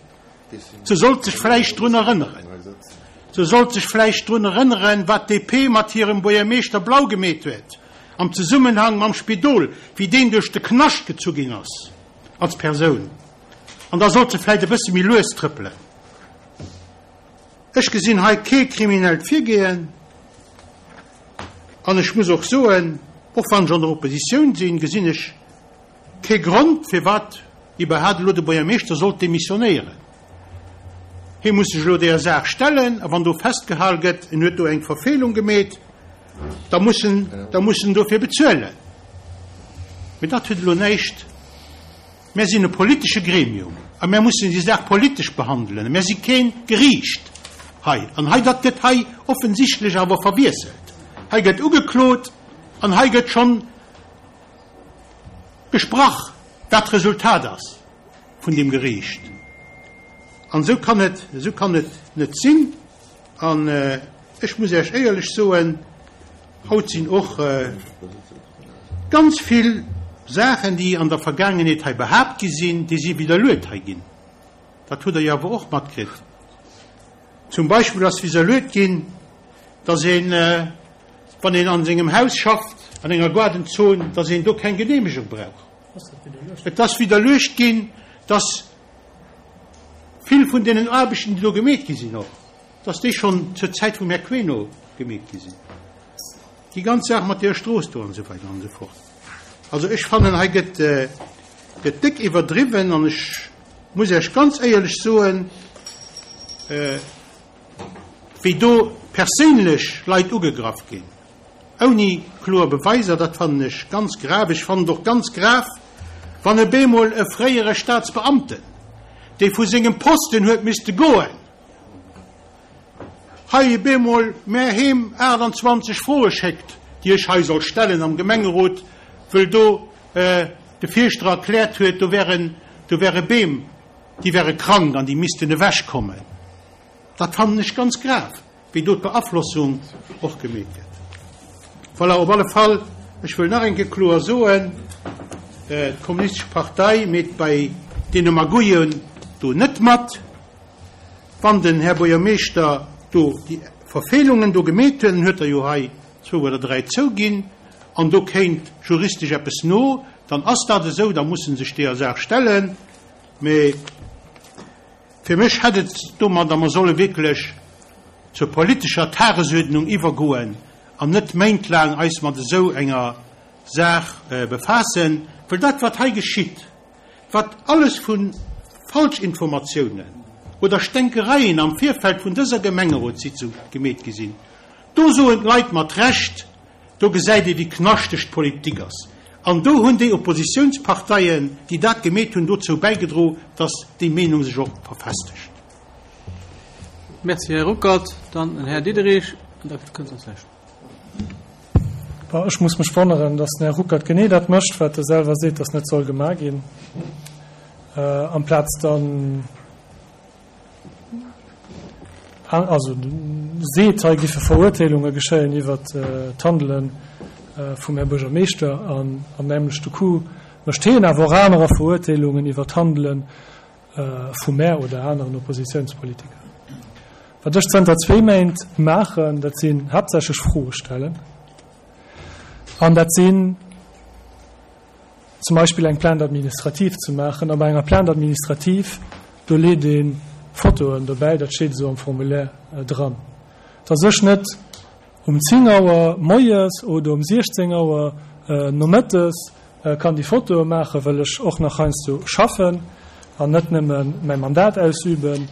Se sollt sech vläicht drun erënneren. Se sollt sech vläicht drun erënneren, wat d'DP mat hirem Buergermeeschter Blau gemeet huet am Zesummenhang mam Spidol, wéi deen duerch de Knascht gezu ginn ass als Persoun. An da sollt se vläicht e bësse méi lues trëppelen. Ech gesinn hei kee kriminellt Virgehen. An ech muss och soen, och wann ech an der Oppositioun sinn, gesinn ech, Kee Grond, firwat iwwerhaat elo de Buergermeeschter sollt demissionéieren. Hie muss sech elo deeër Saach stellen, a wann do festgehal gëtt, en huet do eng Verfeelung gemeet, da muss en, da muss en dofir bezuelen. Mee dat huet elo näischt, mär sinn e politesche Gremium a mär mussen déi Saach politesch behandelen. Mär si kee Geriicht hei. An hei, dat gëtt hei offensichtlech awer verwiesselt. Hei gëtt ugeklot an hei gëtt schonn Gesprach, wat d'Resultat ass vun deem Geriicht. An esou kann et, esou kann et net sinn. An ech muss Iech éierlech soen, haut sinn och ganz vill Saachen, déi an der Vergaangenheet hei behaapt gi sinn, déi si widderluet hei ginn. Dat hutt Der jo awer och matkritt. Zum Beispill ass widderluet ginn, dass een, wann een an sengem Haus schafft, an enger Gaardenzon, dass een do keng Geneemegung brauch. Et ass widderluecht ginn, dass vill vun deenen Aarbechten, déi do gemeet gi sinn och, dass déi schonn zur Zäit vum Här Queno gemeet gi sinn. Déi ganz Saach mat deeër Strooss do an esou weider an esou fort. Also ech fannen, hei gëtt, gëtt déck iwwerdriwwen an ech muss Iech ganz éierlech soen, wéi do perséinlech Leit ugegraff ginn, ouni kloer Beweiser, dat fannen ech ganz grav. Ech fannen et och ganz grav, wann e bemol e fréiere Staatsbeamten, dee vu sengem Posten huet misste goen, hei e bemol mär heem 28 Froe schéckt, déi ech hei soll stellen am Gemengerot, wëll do de Fierschter erkläert huet, do wären, do wäre Beem, déi wäre krank an déi missten ewechkommen. Dat fannen ech ganz grav, wéi do d'Beaflossung och gemeet gëtt. Voilà, op alle Fall, ech wëll nach eng Kéier kloer soen, D'Kommunistesch Partei meet bei deene Magouillen do net mat. Wann den Här Buergermeeschter do déi Verfeelungen do gemeet huet, en huet der jo hei zwou oder dräi zouginn, an do kéint juristesch eppes no, dann ass dat esou, da muss en sech deeër Saach stellen. Mee fir mech hätt et domadder, mer solle wierklech zur politescher Tagesuerdnung iwwergoen an net méintlaang eis mat esou enger Saach befaassen, well dat wat hei geschitt, wat alles vu Falschinformatiounen oder Stänkereien am Virfeld vun dëser Gemengerotssitzung gemeet gi sinn, do soen d'Leit mat Recht, Do gesäit ee wéi knaschteg d'Politik ass. An do hunn déi Oppositiounsparteien, déi dat gemeet hunn, dozou bäigedro, datt déi Meenung sech och verfestegt. Merci, Här Ruckert. Dann den Här Diderich an da kënnt soss näischt. Bon, ech muss mech wonneren, dass den Här Ruckert genee dat mécht, wat e selwer seet, dass net soll gemaach ginn, amplaz dann, also seet, hei giffe Verurteelunge geschéien iwwert d'Handele vum Här Buergermeeschter an am nämlechte Coup mécht hien awer och anerer Verurteelungen iwwert d'Handele vu mär oder aneren Oppositiounspolitiker. Wat ech zënter zwee Méint maachen, dat sinn haaptsächlech Froe stellen an dat sinn zum Beispill eng Plainte administrative ze maachen. A bei enger Plainte administrative, do leet ee Fotoen dobäi, dat steet esou am Formulaire dran. Dass ech net um 10 Auer moies oder um 16 Auer nomëttes kann déi Fotoe maachen, well ech och nach heiansdo schaffen an net nëmme mäi Mandat ausüben,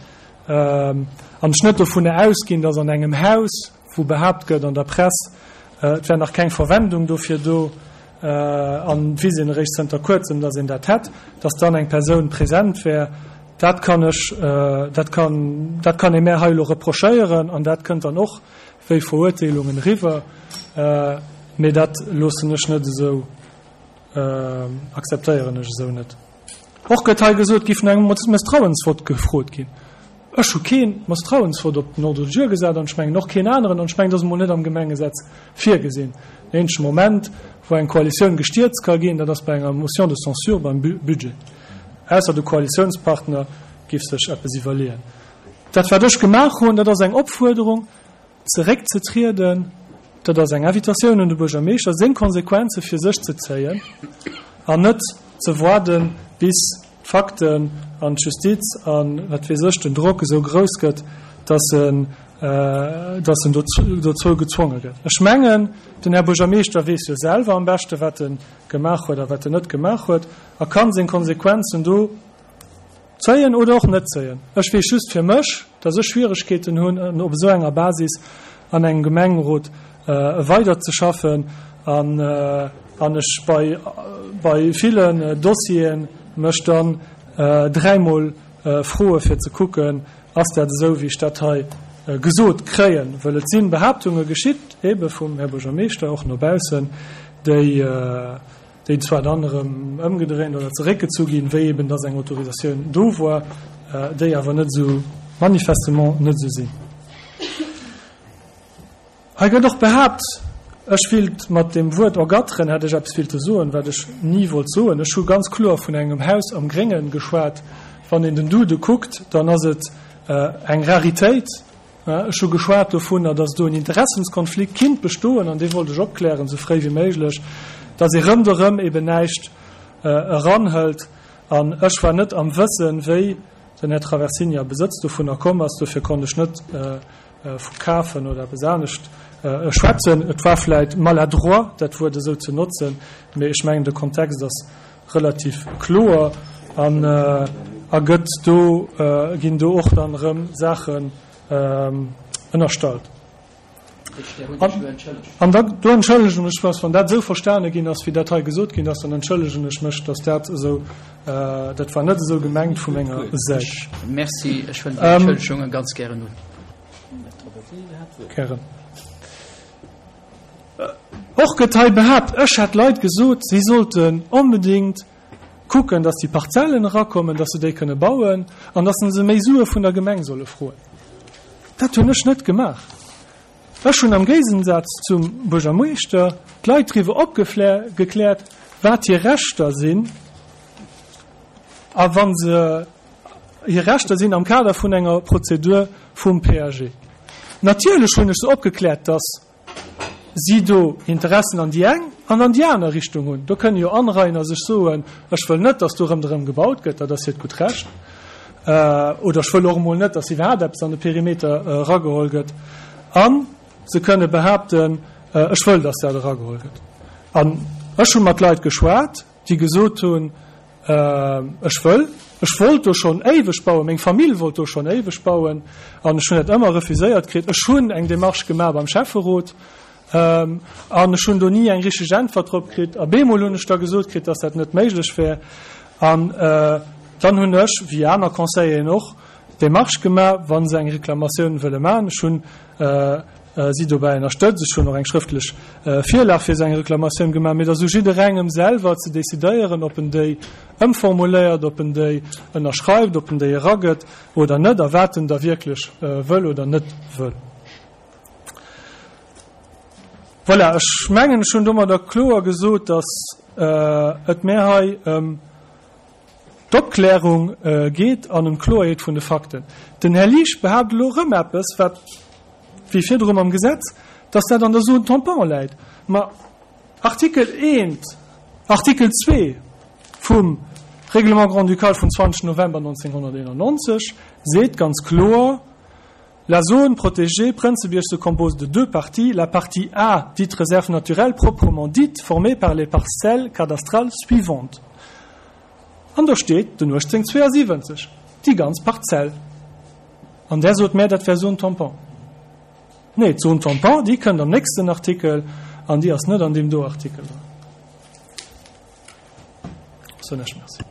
an ech net dovunner ausginn, dass an engem Haus, wou behaapt gëtt an der Press, et wär nach keng Verwendung dofir do, an et weess een eréischt zënter kuerzem, dass een dat hätt, dass dann eng Persoun present wär, dat kann ech, dat kann, dat kann ee mär hei elo reprochéieren an dat kënnt dann och wéi Verurteelungen eriwwer, mee dat loossen ech net esou, akzeptéieren ech esou net. Och gëtt hei gesot, et géif no engem Mësstrauensvott gefrot ginn. Ech hu kee Mësstrauensvott op den Ordre du jour gesat an ech mengen och keen aneren an ech mengen, dat ass emol net am Gemengesetz virgesinn. Den eenzege Moment, wou eng Koalitioun gestierzt ka ginn, dat ass bei enger Motion de censure beim Budget, ausser de Koalitiounspartner géif sech eppes iwwerleeën. Dat, wat ech gemaach hunn, dat ass eng Opfuerderung, zeréckzetrieden, dat ass eng Invitatioun un de Buergermeeschter, seng Konsequenze fir sech ze zéien an net ze waarden, bis d'Fakten an d'Justiz a wat weess ech, den Drock esou grouss gëtt, dass en, dass en dozou gezwonge gëtt. Ech mengen, den Här Buergermeeschter weess jo selwer am beschte wat e gemaach huet a wat en net gemaach huet a ka seng Konsequenzen do Zéien oder och net zéien. Ech weess just fir mech, dass ech Schwieregkeeten hunn, op esou enger Basis an engem Gemengerot weiderzeschaffen an an ech bei bei villen Dossiere mech dann dräimol froe fir ze kucken, ass dat esou wéi ech dat hei gesot kréien, well et si Behaaptunge geschitt, ebe vum Här Buergermeeschter och no baussen, déi déi zwar dann erëm ëmgedréint oder zeréckgezu ginn, wéi eben dass eng Autorisatioun do war, déi awer net esou, manifestement net esou sinn. Hei gëtt och behaapt, ech willt mat deem Wuert ergatteren, hätt ech eppes willte soen, wat ech ni wollt soen. Ech hu ganz kloer vun engem Haus am Gréngen geschwat. Wann een den Dude kuckt, dann ass et eng Raritéit, Ech hu geschwat dovunner, datt do en Interessenskonflikt kinnt bestoen, an dee wollt ech opklären, esou fréi wéi méiglech, datt ee rëmderëm eben näischt eranhëlt. An ech war net am Wëssen, wéi den Här Traversini a Besëtz dovunner komm ass. Dofir konnt ech net vu kafen oder eppes anescht schwätzen. Et war vläicht maladroit, dat Wuert esou ze notzen, mee ech mengen, de Kontext ass relativ kloer an a gëtt do, ginn do och dann erëm Saachen ënnerstallt. An da do entschëllegen ech mech, wann dat esou verstane ginn ass, wéi dat hei gesot ginn ass, dann entschëllegen ech mech, datt dat esou, dat war net esou gemengt vu menger Säit. Merci, ech huelen déi Entschëllegunge ganz gären un. Gären. Och gëtt hei behaapt, ech hätt Leit gesot, si sollten onbedéngt kucken, datt déi Parzellen erakommen, datt se déi kënne bauen an datt se méi Sue vun der Gemeng solle froen. Dat hunn ech net gemaach. Ech hunn am Géigensaz zum Buergermeeschter d'Leit driwwer opgekläert, wat hir Rechter sinn a wa se hir Rechter sinn am Kader vun enger Prozedur vum PAG. Natierlech hunn ech se opgekläert, datt si do Interessen an déi eng an an déi aner Richtung hunn. Do kënnen jo Anrainer sech soen, ech wëll net, datt do rëmderëm gebaut gëtt, dat ass hiert gutt Recht, oder ech wëll och emol net, datt iwwerhaapt eppes an de Perimeter erageholl gëtt. A se kënne behaapten, ech wëll, datt dat erageholl gëtt. An ech hu mat Leit geschwat, déi gesot hunn, Ech wëll, ech wollt do schonn éiweg bauen, meng Famill wollt do schonn éiweg bauen an ech hunn dat ëmmer refuséiert kritt. Ech hunn eng Démarche gemaach beim Schäfferot an ech hunn do ni eng richteg Äntwert drop kritt. A bemol hunn ech da gesot kritt, dass dat net méiglech wär. An dann hunn ech, wéi aner Conseilleren och. d'Demarche gemaach, wa se eng Reklamatioun wëlle maachen. Ech hunn si dobäi ënnerstëtzt. Ech hunn och eng schrëftlech Virlag fir esou eng Reklamatioun gemaach. Mee et ass u jidderengem selwer ze decidéieren, ob en déi ëmformuléiert, ob en déi ënnerschreift, ob en déi eragëtt oder net a wat en da wierklech wëll oder net wëll. Voilà, ech mengen, ech hunn domadder kloer gesot, dass et mär hei ëm d'Opklärung geet an ëm d'Kloerheet vun de Fakten. Den Här Liesch behaapt elo erëm eppes, wat, wéi virdru mam Gesetz, dass dat an der Zone tampon läit. Ma Artikel eent, Artikel zwee vum Règlement grand-ducal vum 20 November 1991 seet ganz kloer, La zone protégée Prënzebierg se compose de deux parties, la partie A, dite réserve naturelle proprement dite, formée par les parcelles cadastrales suivantes. An do steet den 1872, déi ganz Parzell. An där sot mär, dat wär Zone tampon. Nee, d'Zone tampon, déi kënnt am nächsten Artikel an déi ass net an deem do Artikel dran. Soen ech Merci.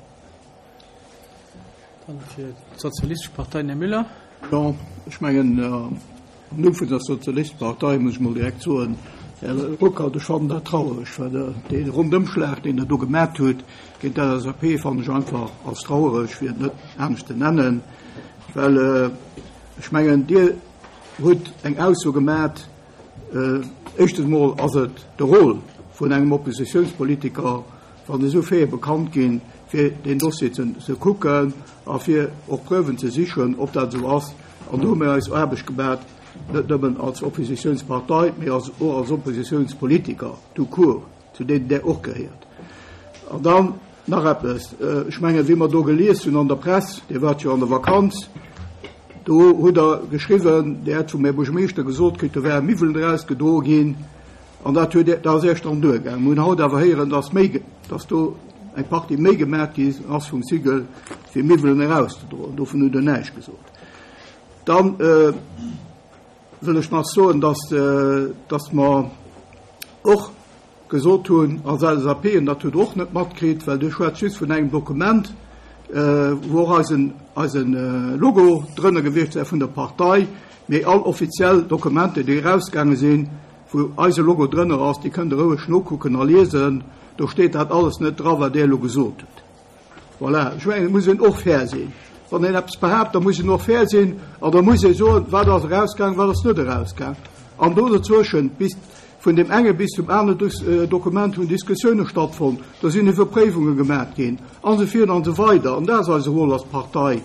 Dann fir d'Sozialistesch Partei den Här Müller. Jo, ech mengen, am Numm vun der Sozialistesch Partei muss ech mol direkt soen, Här Ruckert, ech fannen dat trauereg, wat Der, dee Rundëmschlag, deen Der do gemat hutt géint d'LSAP, fannen ech einfach als trauereg, fir et net anescht ze nennen, well ech mengen, Dir hutt eng Ausso gemat, éischtens emol ass et de Rôle vun engem Oppositionspolitiker, wann esou Faite bekannt ginn, fir deen Dossier ze kucken a fir och Preuven ze sichen, ob dat esou ass. An do hu mir eis Aarbecht gemat, net nëmmen als Oppositionspartei, mee och als Oppositionspolitiker tout court, zu deenen Der och gehéiert. An dann nach eppes, Ech mengen, wéi mer do gelies hunn an der Press, Dir waart jo an der Vakanz, do hutt Der geschriwwen, Dir hätt vum Här Buergermeeschter gesot kritt, do wäre Miwwelen erausgedroe ginn. An dat huet, dat ass Iech dann duergaangen. Mir hunn haut awer héieren, dass méi, dass do eng Partie méi gemat gi ass vum Sigel, fir Miwwelen erauszedroen. Dovun hutt Der näischt gesot. Dann wëll ech nach soen, dass, dass mer och gesot hunn als LSAP, an dat hutt Der och net matkritt, well Dir schwätzt just vun engem Dokument, wou och eisen, eisen Logo drënner gewiescht wär vun der Partei, mee all offiziell Dokumenter, déi erausgaange sinn, wou eise Logo drënner ass, déi kënnt Der roueg nokucken a liesen, do steet dat alles net dra wat Där elo gesot hutt. Voilà, ech mengen, et muss een och fair sinn. Wann een eppes behaapt, da muss een och fair sinn an da muss ee soen, wat ass erausgaang, wat ass net erausgaang. An do dozwëschent, bis vun deem enge bis zum anere Dokument hunn Diskussioune stattfonnt, do sinn Iwwerpréiwunge gemat ginn an esou virun an esou weider. An dat ass eise Rôle als Partei.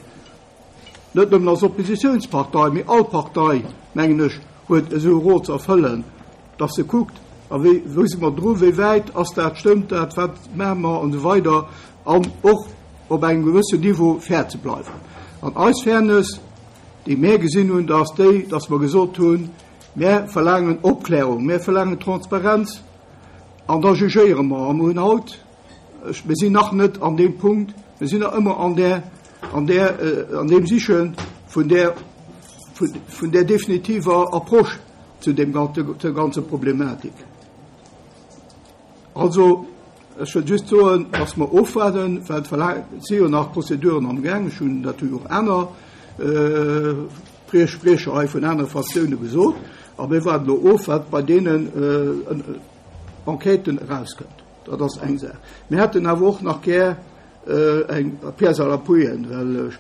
Net nëmmen als Oppositionspartei, mee all Partei, mengen ech, huet esou e Rôle ze erfëllen, dass se kuckt, a wéi, wou si mer dru, wéi wäit ass dat, stëmmt dat, wat maache mer an esou weider an och op engem gewëssen Niveau fair ze bleiwen. An eis Fairness, déi mär gesinn hunn, dat ass déi, dass mer gesot hunn, Mär verlaangen Opklärung, mär verlaangen Transparenz an da jugéiere mer. A mer hunn haut, ech, mir sinn nach net an deem Punkt, mir sinn nach ëmmer an där, an där, an deem Siche vun där, vun där definitiver Approche zu deem, zur ganzer Problematik. Also, ech wëll just soen, dass mer ofwaarden, well et si jo nach Prozeduren amgaang. Ech hunn dat hu jo och aner Spriecher hei vun anere Fraktioune gesot. A mir waarden elo of, wat bei deenen Enquêten erauskënnt. Dat ass eng Saach. Mir hätten awer och nach gär eng Pièce à l'appui, well ech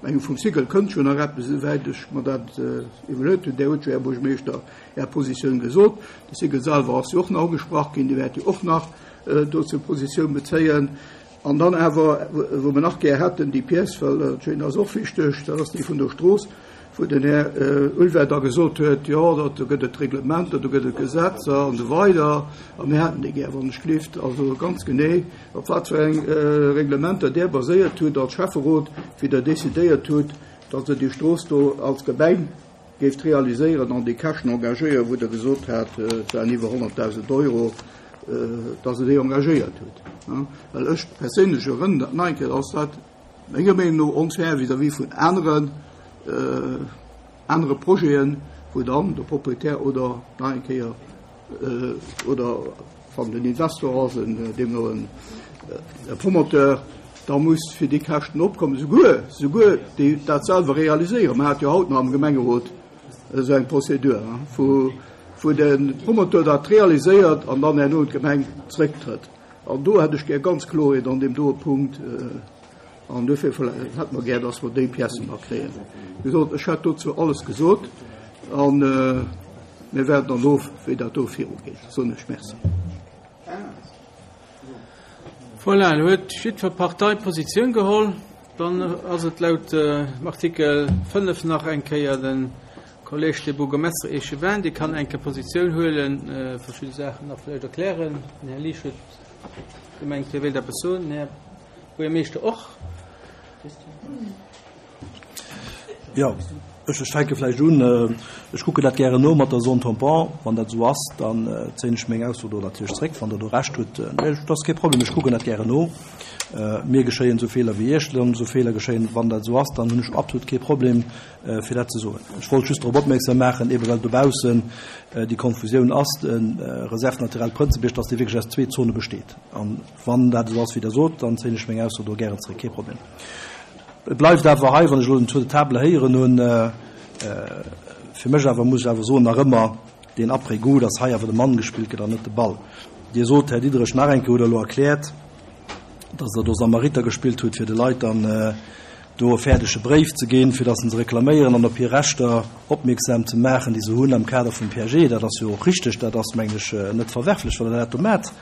mengen, vum Cycle kënnt jo nach eppes, esouwäit ech mer dat iwwerluet hunn. Där huet jo, Här Buergermeeschter, Är Positioun gesot. De Cycle selwer ass jo och nach ugesprach ginn, dee wäert jo och nach dozou Positioun bezéien. An dann awer, wou mer nach gär hätten, déi Pièce, well dat ass och wichteg, dat ass déi vun der Strooss, wou den Här Ulver da gesot huet, jo, dat, do gëtt et Reglementer, do gëtt et Gesetzer an esou weider. A mir hätten déi gär, wann ech gelift, also ganz genee, op wat fir eng Reglementer Der baséiert hutt als Schäfferot, wéi Der decidéiert hutt, datt Der déi Strooss do als Gemeng géift realiséieren an déi Käschten engagéieren, wou Der gesot hat, et waren iwwer 100.000 Euro, datt Der déi engagéiert hutt. Well ech perséinlech erënneren dat nach eng Kéier, dass dat menger Meenung no onfair vis-à-vis vun aneren, anere Projeten, wou dann de Proprietär oder nach eng Kéier oder wann den Investor ass, en deemno en Promoteur. da muss fir déi Käschten opkommen, souguer, souguer déi dat selwer realiséieren. Mer hate jo haut nach am Gemengerot esou eng Prozedur, wou, wou de Promoteur dat realiséiert an dann herno un d'Gemeng zrëcktrëtt. An do hätt ech gär ganz Klorheet an deem doe Punkt. An dofir hätte mer gär, dass mer déi Piècen nach kréien. Wéi gesot, ech hätt dozou alles gesot a mir waarden dann of, wéi dat do virugeet. Soen ech Merci. Voilà, elo huet jiddwer Partei Positioun geholl. Dann ass et laut dem Artikel 5 nach eng Kéier de Kolleg, de Bourgmestre Échevin, dee kann eng Kéier Positioun huelen, verschidde Saachen nach vläicht erklären. Den Här Liesch huet gemengt, hie wéilt eppes soen. Den Här Buergermeeschter och. Jo, ech fänke vläicht un. Ech kucken dat gären no mat der Zone tampon. Wann dat esou ass, dann zéien ech meng Ausso do natierlech zréck, wann Der do Recht hutt. Mee dat ass kee Problem, ech kucken dat gären no. Mir geschéien esou Feeler wéi Iech esou Feeler geschéien. Wann dat esou ass, dann hunn ech absolut kee Problem, fir dat ze soen. Ech wollt just drop opmierksam maachen, eebe well dobaussen déi Konfusioun ass, de Réserve naturelle Prënzebierg, dass dee wierklech aus zwee Zone besteet. An Wann dat esou ass, wéi Der sot, dann zéien ech meng Ausso do gären zréck. Kee Problem. Et bleift awer hei, wann ech elo den Tour de table héieren hunn, fir mech awer, muss ech awer soen, nach ëmmer deen Après-goût, dass hei awer de Mann gespillt gëtt an net de Ball. Dir sot, Här Diderich, nach eng Kéier hutt Der elo erkläert, dass Der do Samariter gespillt hutt, fir de Leit dann do e fäerdege Bréif ze ginn, fir dass se se reklaméieren an op hir Rechter opmierksam ze maachen, déi se hunn am Kader vum PAG. Dat ass jo och richteg, dat ass, mengen ech, net verwerflech, wann Der dat do maacht.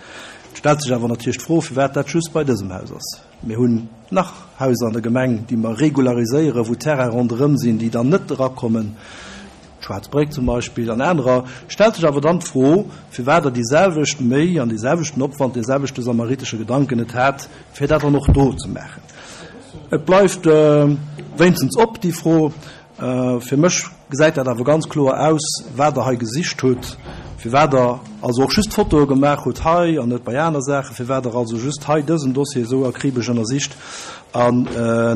Et stellt sech awer natierlech d'Fro, firwat dat just bei dësem Haus ass. Mir hunn nach Haiser an der Gemeng, déi mer regulariséieren, wou Terraine ronderëm sinn, déi dann net erakommen, d'Schwaarz Bréck zum Beispill an anerer. Stellt sech awer dann d'Fro, firwat Der déi selwecht Méi an dee selwechten Opwand, dee selwechte samaritesche Gedanken net hat, fir dat dann och do ze maachen. Et bleift wéinstens op, déi Fro. Fir mech gesäit dat awer ganz kloer aus, wat Der hei gesicht hutt, firwat Der also och just Fotoe gemaach hutt hei an net bei aner Saachen, firwat Der also just hei dësen Dossier esou akribesch ënnersicht an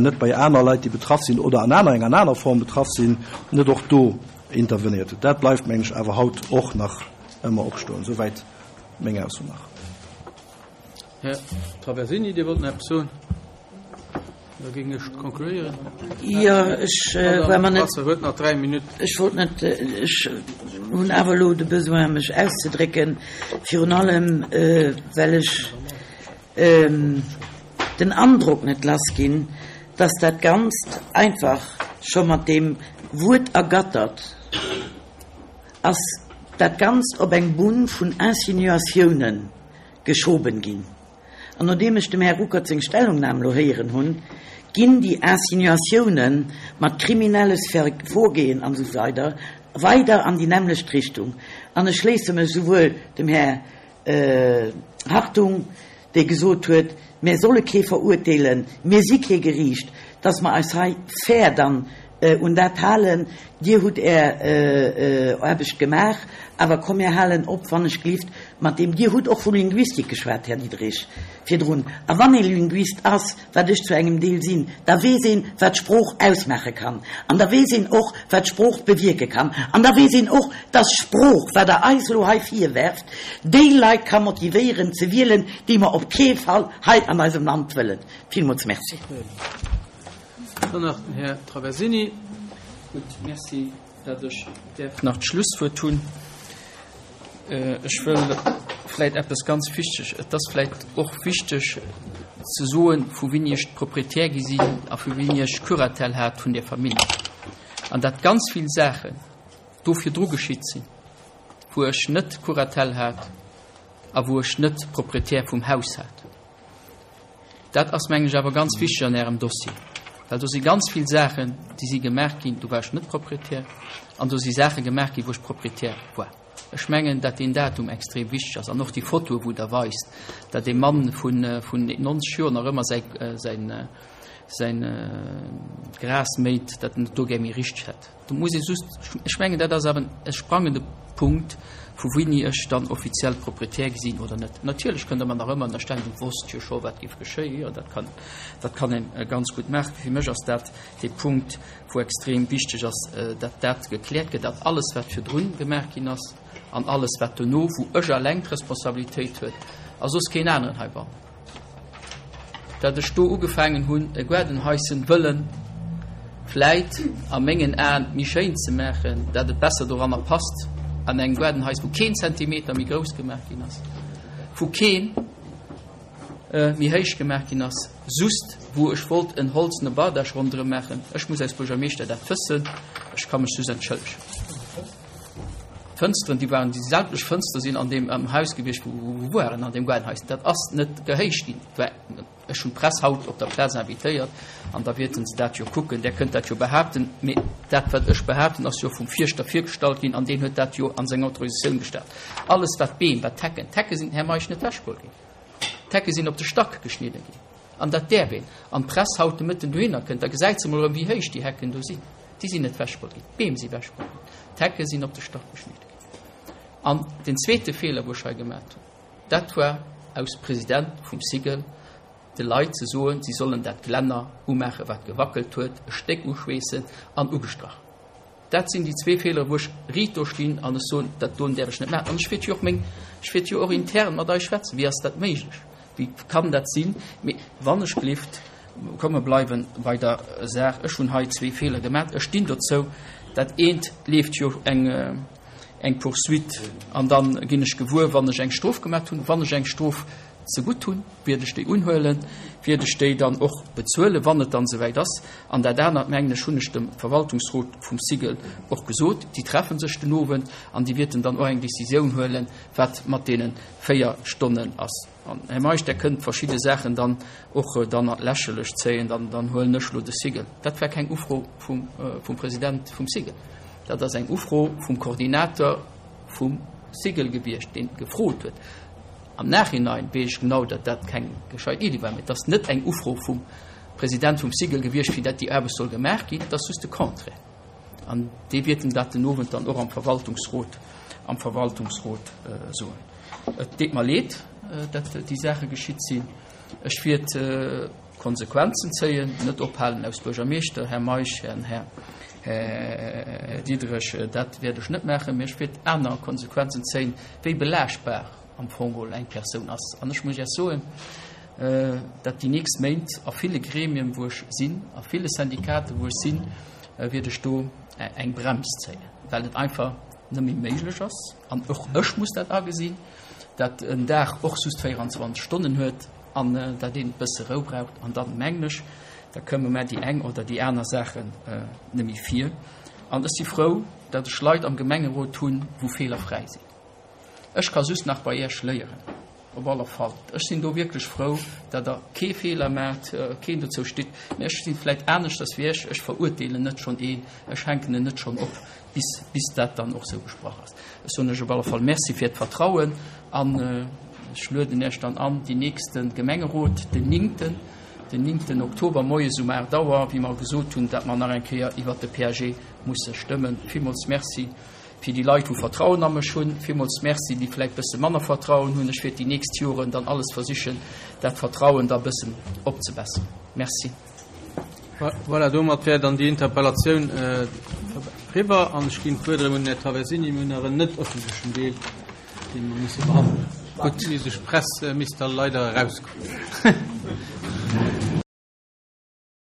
net bei aner Leit, déi betraff sinn oder an aner enger aner Form betraff sinn, net och do intervenéiert hutt. Dat bleift, mengen ech, awer haut och nach ëmmer opstoen. Souwäit meng Ausso nach. Här Traversini, Dir wollt nach eppes soen? Da géing ech concluéieren. Jo, ech war mer net. Brasseur huet nach 3 Minutten. Ech wollt net, ech hunn awer elo de Besoin, mech auszedrécken, virun allem well ech den Androck net lass ginn, dass dat Ganzt einfach scho mat deem Wuert ergattert ass, dat Ganzt op eng Bunn vun Insinuatiounen geschoben ginn. An nodeem ech dem Här Ruckert seng Stellungnam elo héieren hunn, ginn déi Insinuatiounen mat kriminelles Vorgehen an esou weider weider an déi nämmlecht Richtung. An ech schléisse mech esouwuel dem Här Hartung, dee gesot huet, mir solle kee verurteelen, mir si kee Geriicht, dass mer eis hei fair dann un dat halen, Dir hutt Är Aarbecht gemaach, awer komm mir halen op, wann ech glift, mat deem, Dir hutt och vu Linguistik geschwat, Här Diderich, virdrun, a wann ee Linguist ass, wat ech zu engem Deel sinn, da weess een, wat Sprooch ausmaache kann, an da weess een och, wat Sprooch bewierke kann, an da weess een och, dass Sprooch, wat Der eis elo hei virwerft, déi Leit ka motivéieren ze wielen, déi mer op kee Fall hei an eisem Land wëllen. Villmools Merci. Dann nach den Här Traversini. Gutt, Merci, datt ech däerf nach d'Schlusswuert hunn. Ech wëll vläicht eppes ganz wichteg, et ass vläicht och wichteg ze soen, vu wien ech Proprietär gi sinn a vu wien ech Curatelle hat vun där Famill. An datt ganz vill Saachen do virdru geschitt sinn, wou ech net Curatelle hat a wou ech net Proprietär vum Haus hat. Dat ass, mengen ech, awer ganz wichteg an Ärem Dossier, well do si ganz vill Saachen, déi si gemaach ginn, do war ech net Proprietär, an do si Saache gemaach ginn, wou ech Proprietär war. Ech mengen, datt deen Datum extrem wichteg ass an och déi Fotoe wou Der weist, datt ee Mann vun 90 Joer nach ëmmer säi, säin, säin Gras méit, datt en et do gär méi richteg hätt. Do muss ee just, ech mengen, dat ass awer e sprangende Punkt, vu wéini ech dann offiziell Proprietär gi sinn oder net. Natierlech kënnt Der mer nach ëmmer ënnerstellen, du wosst jo scho, wat géif geschéien. Jo, dat kann, dat kann ee ganz gutt maachen. Fir mech ass dat dee Punkt, wou extrem wichteg ass, datt dat gekläert gëtt, datt alles, wat virdrun gemaach ginn ass an alles, wat dono, wou ech alleng d'Responsabilitéit huet a soss keen aneren heibannen. Dat ech do ugefaangen hunn, e Gaardenhaischen wëllen vläit a mengen Aen méi schéin ze maachen, dat et besser doranner passt, an engem Gaardenhais, wou keen Zentimeter méi grouss gemaach ginn ass, wou keen méi héich gemaach ginn ass, just wou ech wollt en holzene Bardage ronderëm maachen. Ech muss als Buergermeeschter dat wëssen, ech ka mech just entschëllegen. D'Fënsteren, déi waren, déi sämtlech Fënster sinn an deem am Haus gewiescht, wou wou waren an deem Gaardenhaus. Dat ass net gehéicht ginn. War, ech hunn d'Press haut op der Plaz invitéiert an da wäerten se dat jo kucken. Där kënnt dat jo behaapten. Mee dat, wat ech behaapten, ass jo vum Fierschter virgestallt ginn an deen huet dat jo an seng Autorisatioun gestallt. Alles wat Beem, wat d'Hecken, d'Hecke sinn, Här Meisch, net wechgeholl ginn. D'Hecke sinn op de Stack geschnidde ginn. An dat däerf een. An d'Press haut de Mëtten dohinner kënnt, da gesäit se emol erëm, wéi héich déi Hecken do sinn. Déi sinn net wechgeholl ginn. D'Beem si wechgeholl ginn. D'Hecke sinn op de Stack geschnidde ginn. An den zweete Feeler, wou ech hei gemat hunn, dat war aus President vum SIGEL de Leit ze soen, si sollen dat Glänner umaachen, wat gewackelt huet, e Stéck uschweessen an ugestrach. Dat sinn déi zwee Feelere wou ech riit do stinn an ech soen, dat doen däerf ech net maachen. An ech wäert jo och meng, ech wäert jo och intern mat eis schwätzen, wéi ass dat méiglech, wéi kann dat sinn. Mee wann ech gelift, komme bleiwen bei der Saach, ech hunn hei zwee Feeler gemaach, ech stinn dozou. Dat eent leeft jo eng, eng Poursuite an da ginn ech gewuer, wann ech eng Strof gemaach hunn, wann ech eng Strof zegutt hunn. Wiert ech déi unhuelen, wiert ech déi dann och bezuelen, wann et dann esouwäit ass. An dat anert, mengen ech, hunn ech dem Verwaltungsrot vum SIGEL och gesot, déi treffe sech den Owend an déi wierten dann och eng Décisioun huelen, wat mat deene 4 Stonnen ass. An, Här Meisch, Der kënnt verschidde Saachen dann och dann an d'Lächerlecht zéien, dann, dann huelen ech elo de SIGEL. Dat war keng Ufro vum, vum President vum SIGEL. Dat ass eng Ufro vum Koordinator vum SIGEL gewiescht, deen gefrot huet. Am Nachhinein weess ech genau, datt dat keng gescheit Iddi war, mee et ass net eng Ufro vum President vum SIGEL gewiescht, fir datt déi Aarbecht soll gemaach ginn. Et ass just de Contraire. An dee wäerten dat den Owend dann och am Verwaltungsrot, am Verwaltungsrot soen. Et deet mer leed, datt déi Saache geschitt sinn. Ech wäert Konsequenzen zéien, net ophalen aus Buergermeeschter, Här Meisch, Här Diderich, dat wäert ech net maachen, mee ech wäert aner Konsequenzen zéien, wéi belaaschtbar am Fong geholl eng Persoun ass. An ech muss Iech soen, datt déi nächst Méint a ville Gremien, wou ech sinn, a ville Syndikaten, wou ech sinn, wäert ech do eng Brems zéien, well et einfach net méi méiglech ass, an och ech muss dat agesinn, datt en Dag och just 24 Stonnen huet an datt een e bësse Rou braucht. An dann, mengen ech, da këmme mer déi eng oder déi aner Saachen net méi vir. An ech si frou, datt ech Leit am Gemengerot hunn, wou feelerfräi sinn. Ech ka just nach bei Iech léieren, op alle Fall. Ech sinn do wierklech frou, datt Der kee Feeler maacht, keen dozou stitt. Mä ech si vläicht aneschters wéi Iech, ech verurteelen net schonn een, ech hänken en net schonn op, bis, bis dat dann och esou gesprach ass. Ech soen Iech op alle Fall Merci fir d'Vertrauen an ech lueden Iech dann an, déi nächste Gemengerot, den néngten, den néngten Oktober moies um 8 Auer, wéi mer gesot hunn, datt mer nach eng Kéier iwwert de PAG musse stëmmen. Villmools Merci. Fir déi Leit, wou Vertrauen a mech hunn, villmools Merci. Déi vläicht bësse manner Vertrauen hunn, ech wäert déi nächst Joren dann alles versichen, dat Vertrauen da bëssen opzebesseren. Merci. Voilà, domat wär dann déi Interpellatioun eriwwer an ech ginn d'Wuert erëm un den Här Traversini. Mir hunn nach en net ëffentlechen Deel, dee mer musse behandelen. Gutt, déi Press misst da leider erauskommen.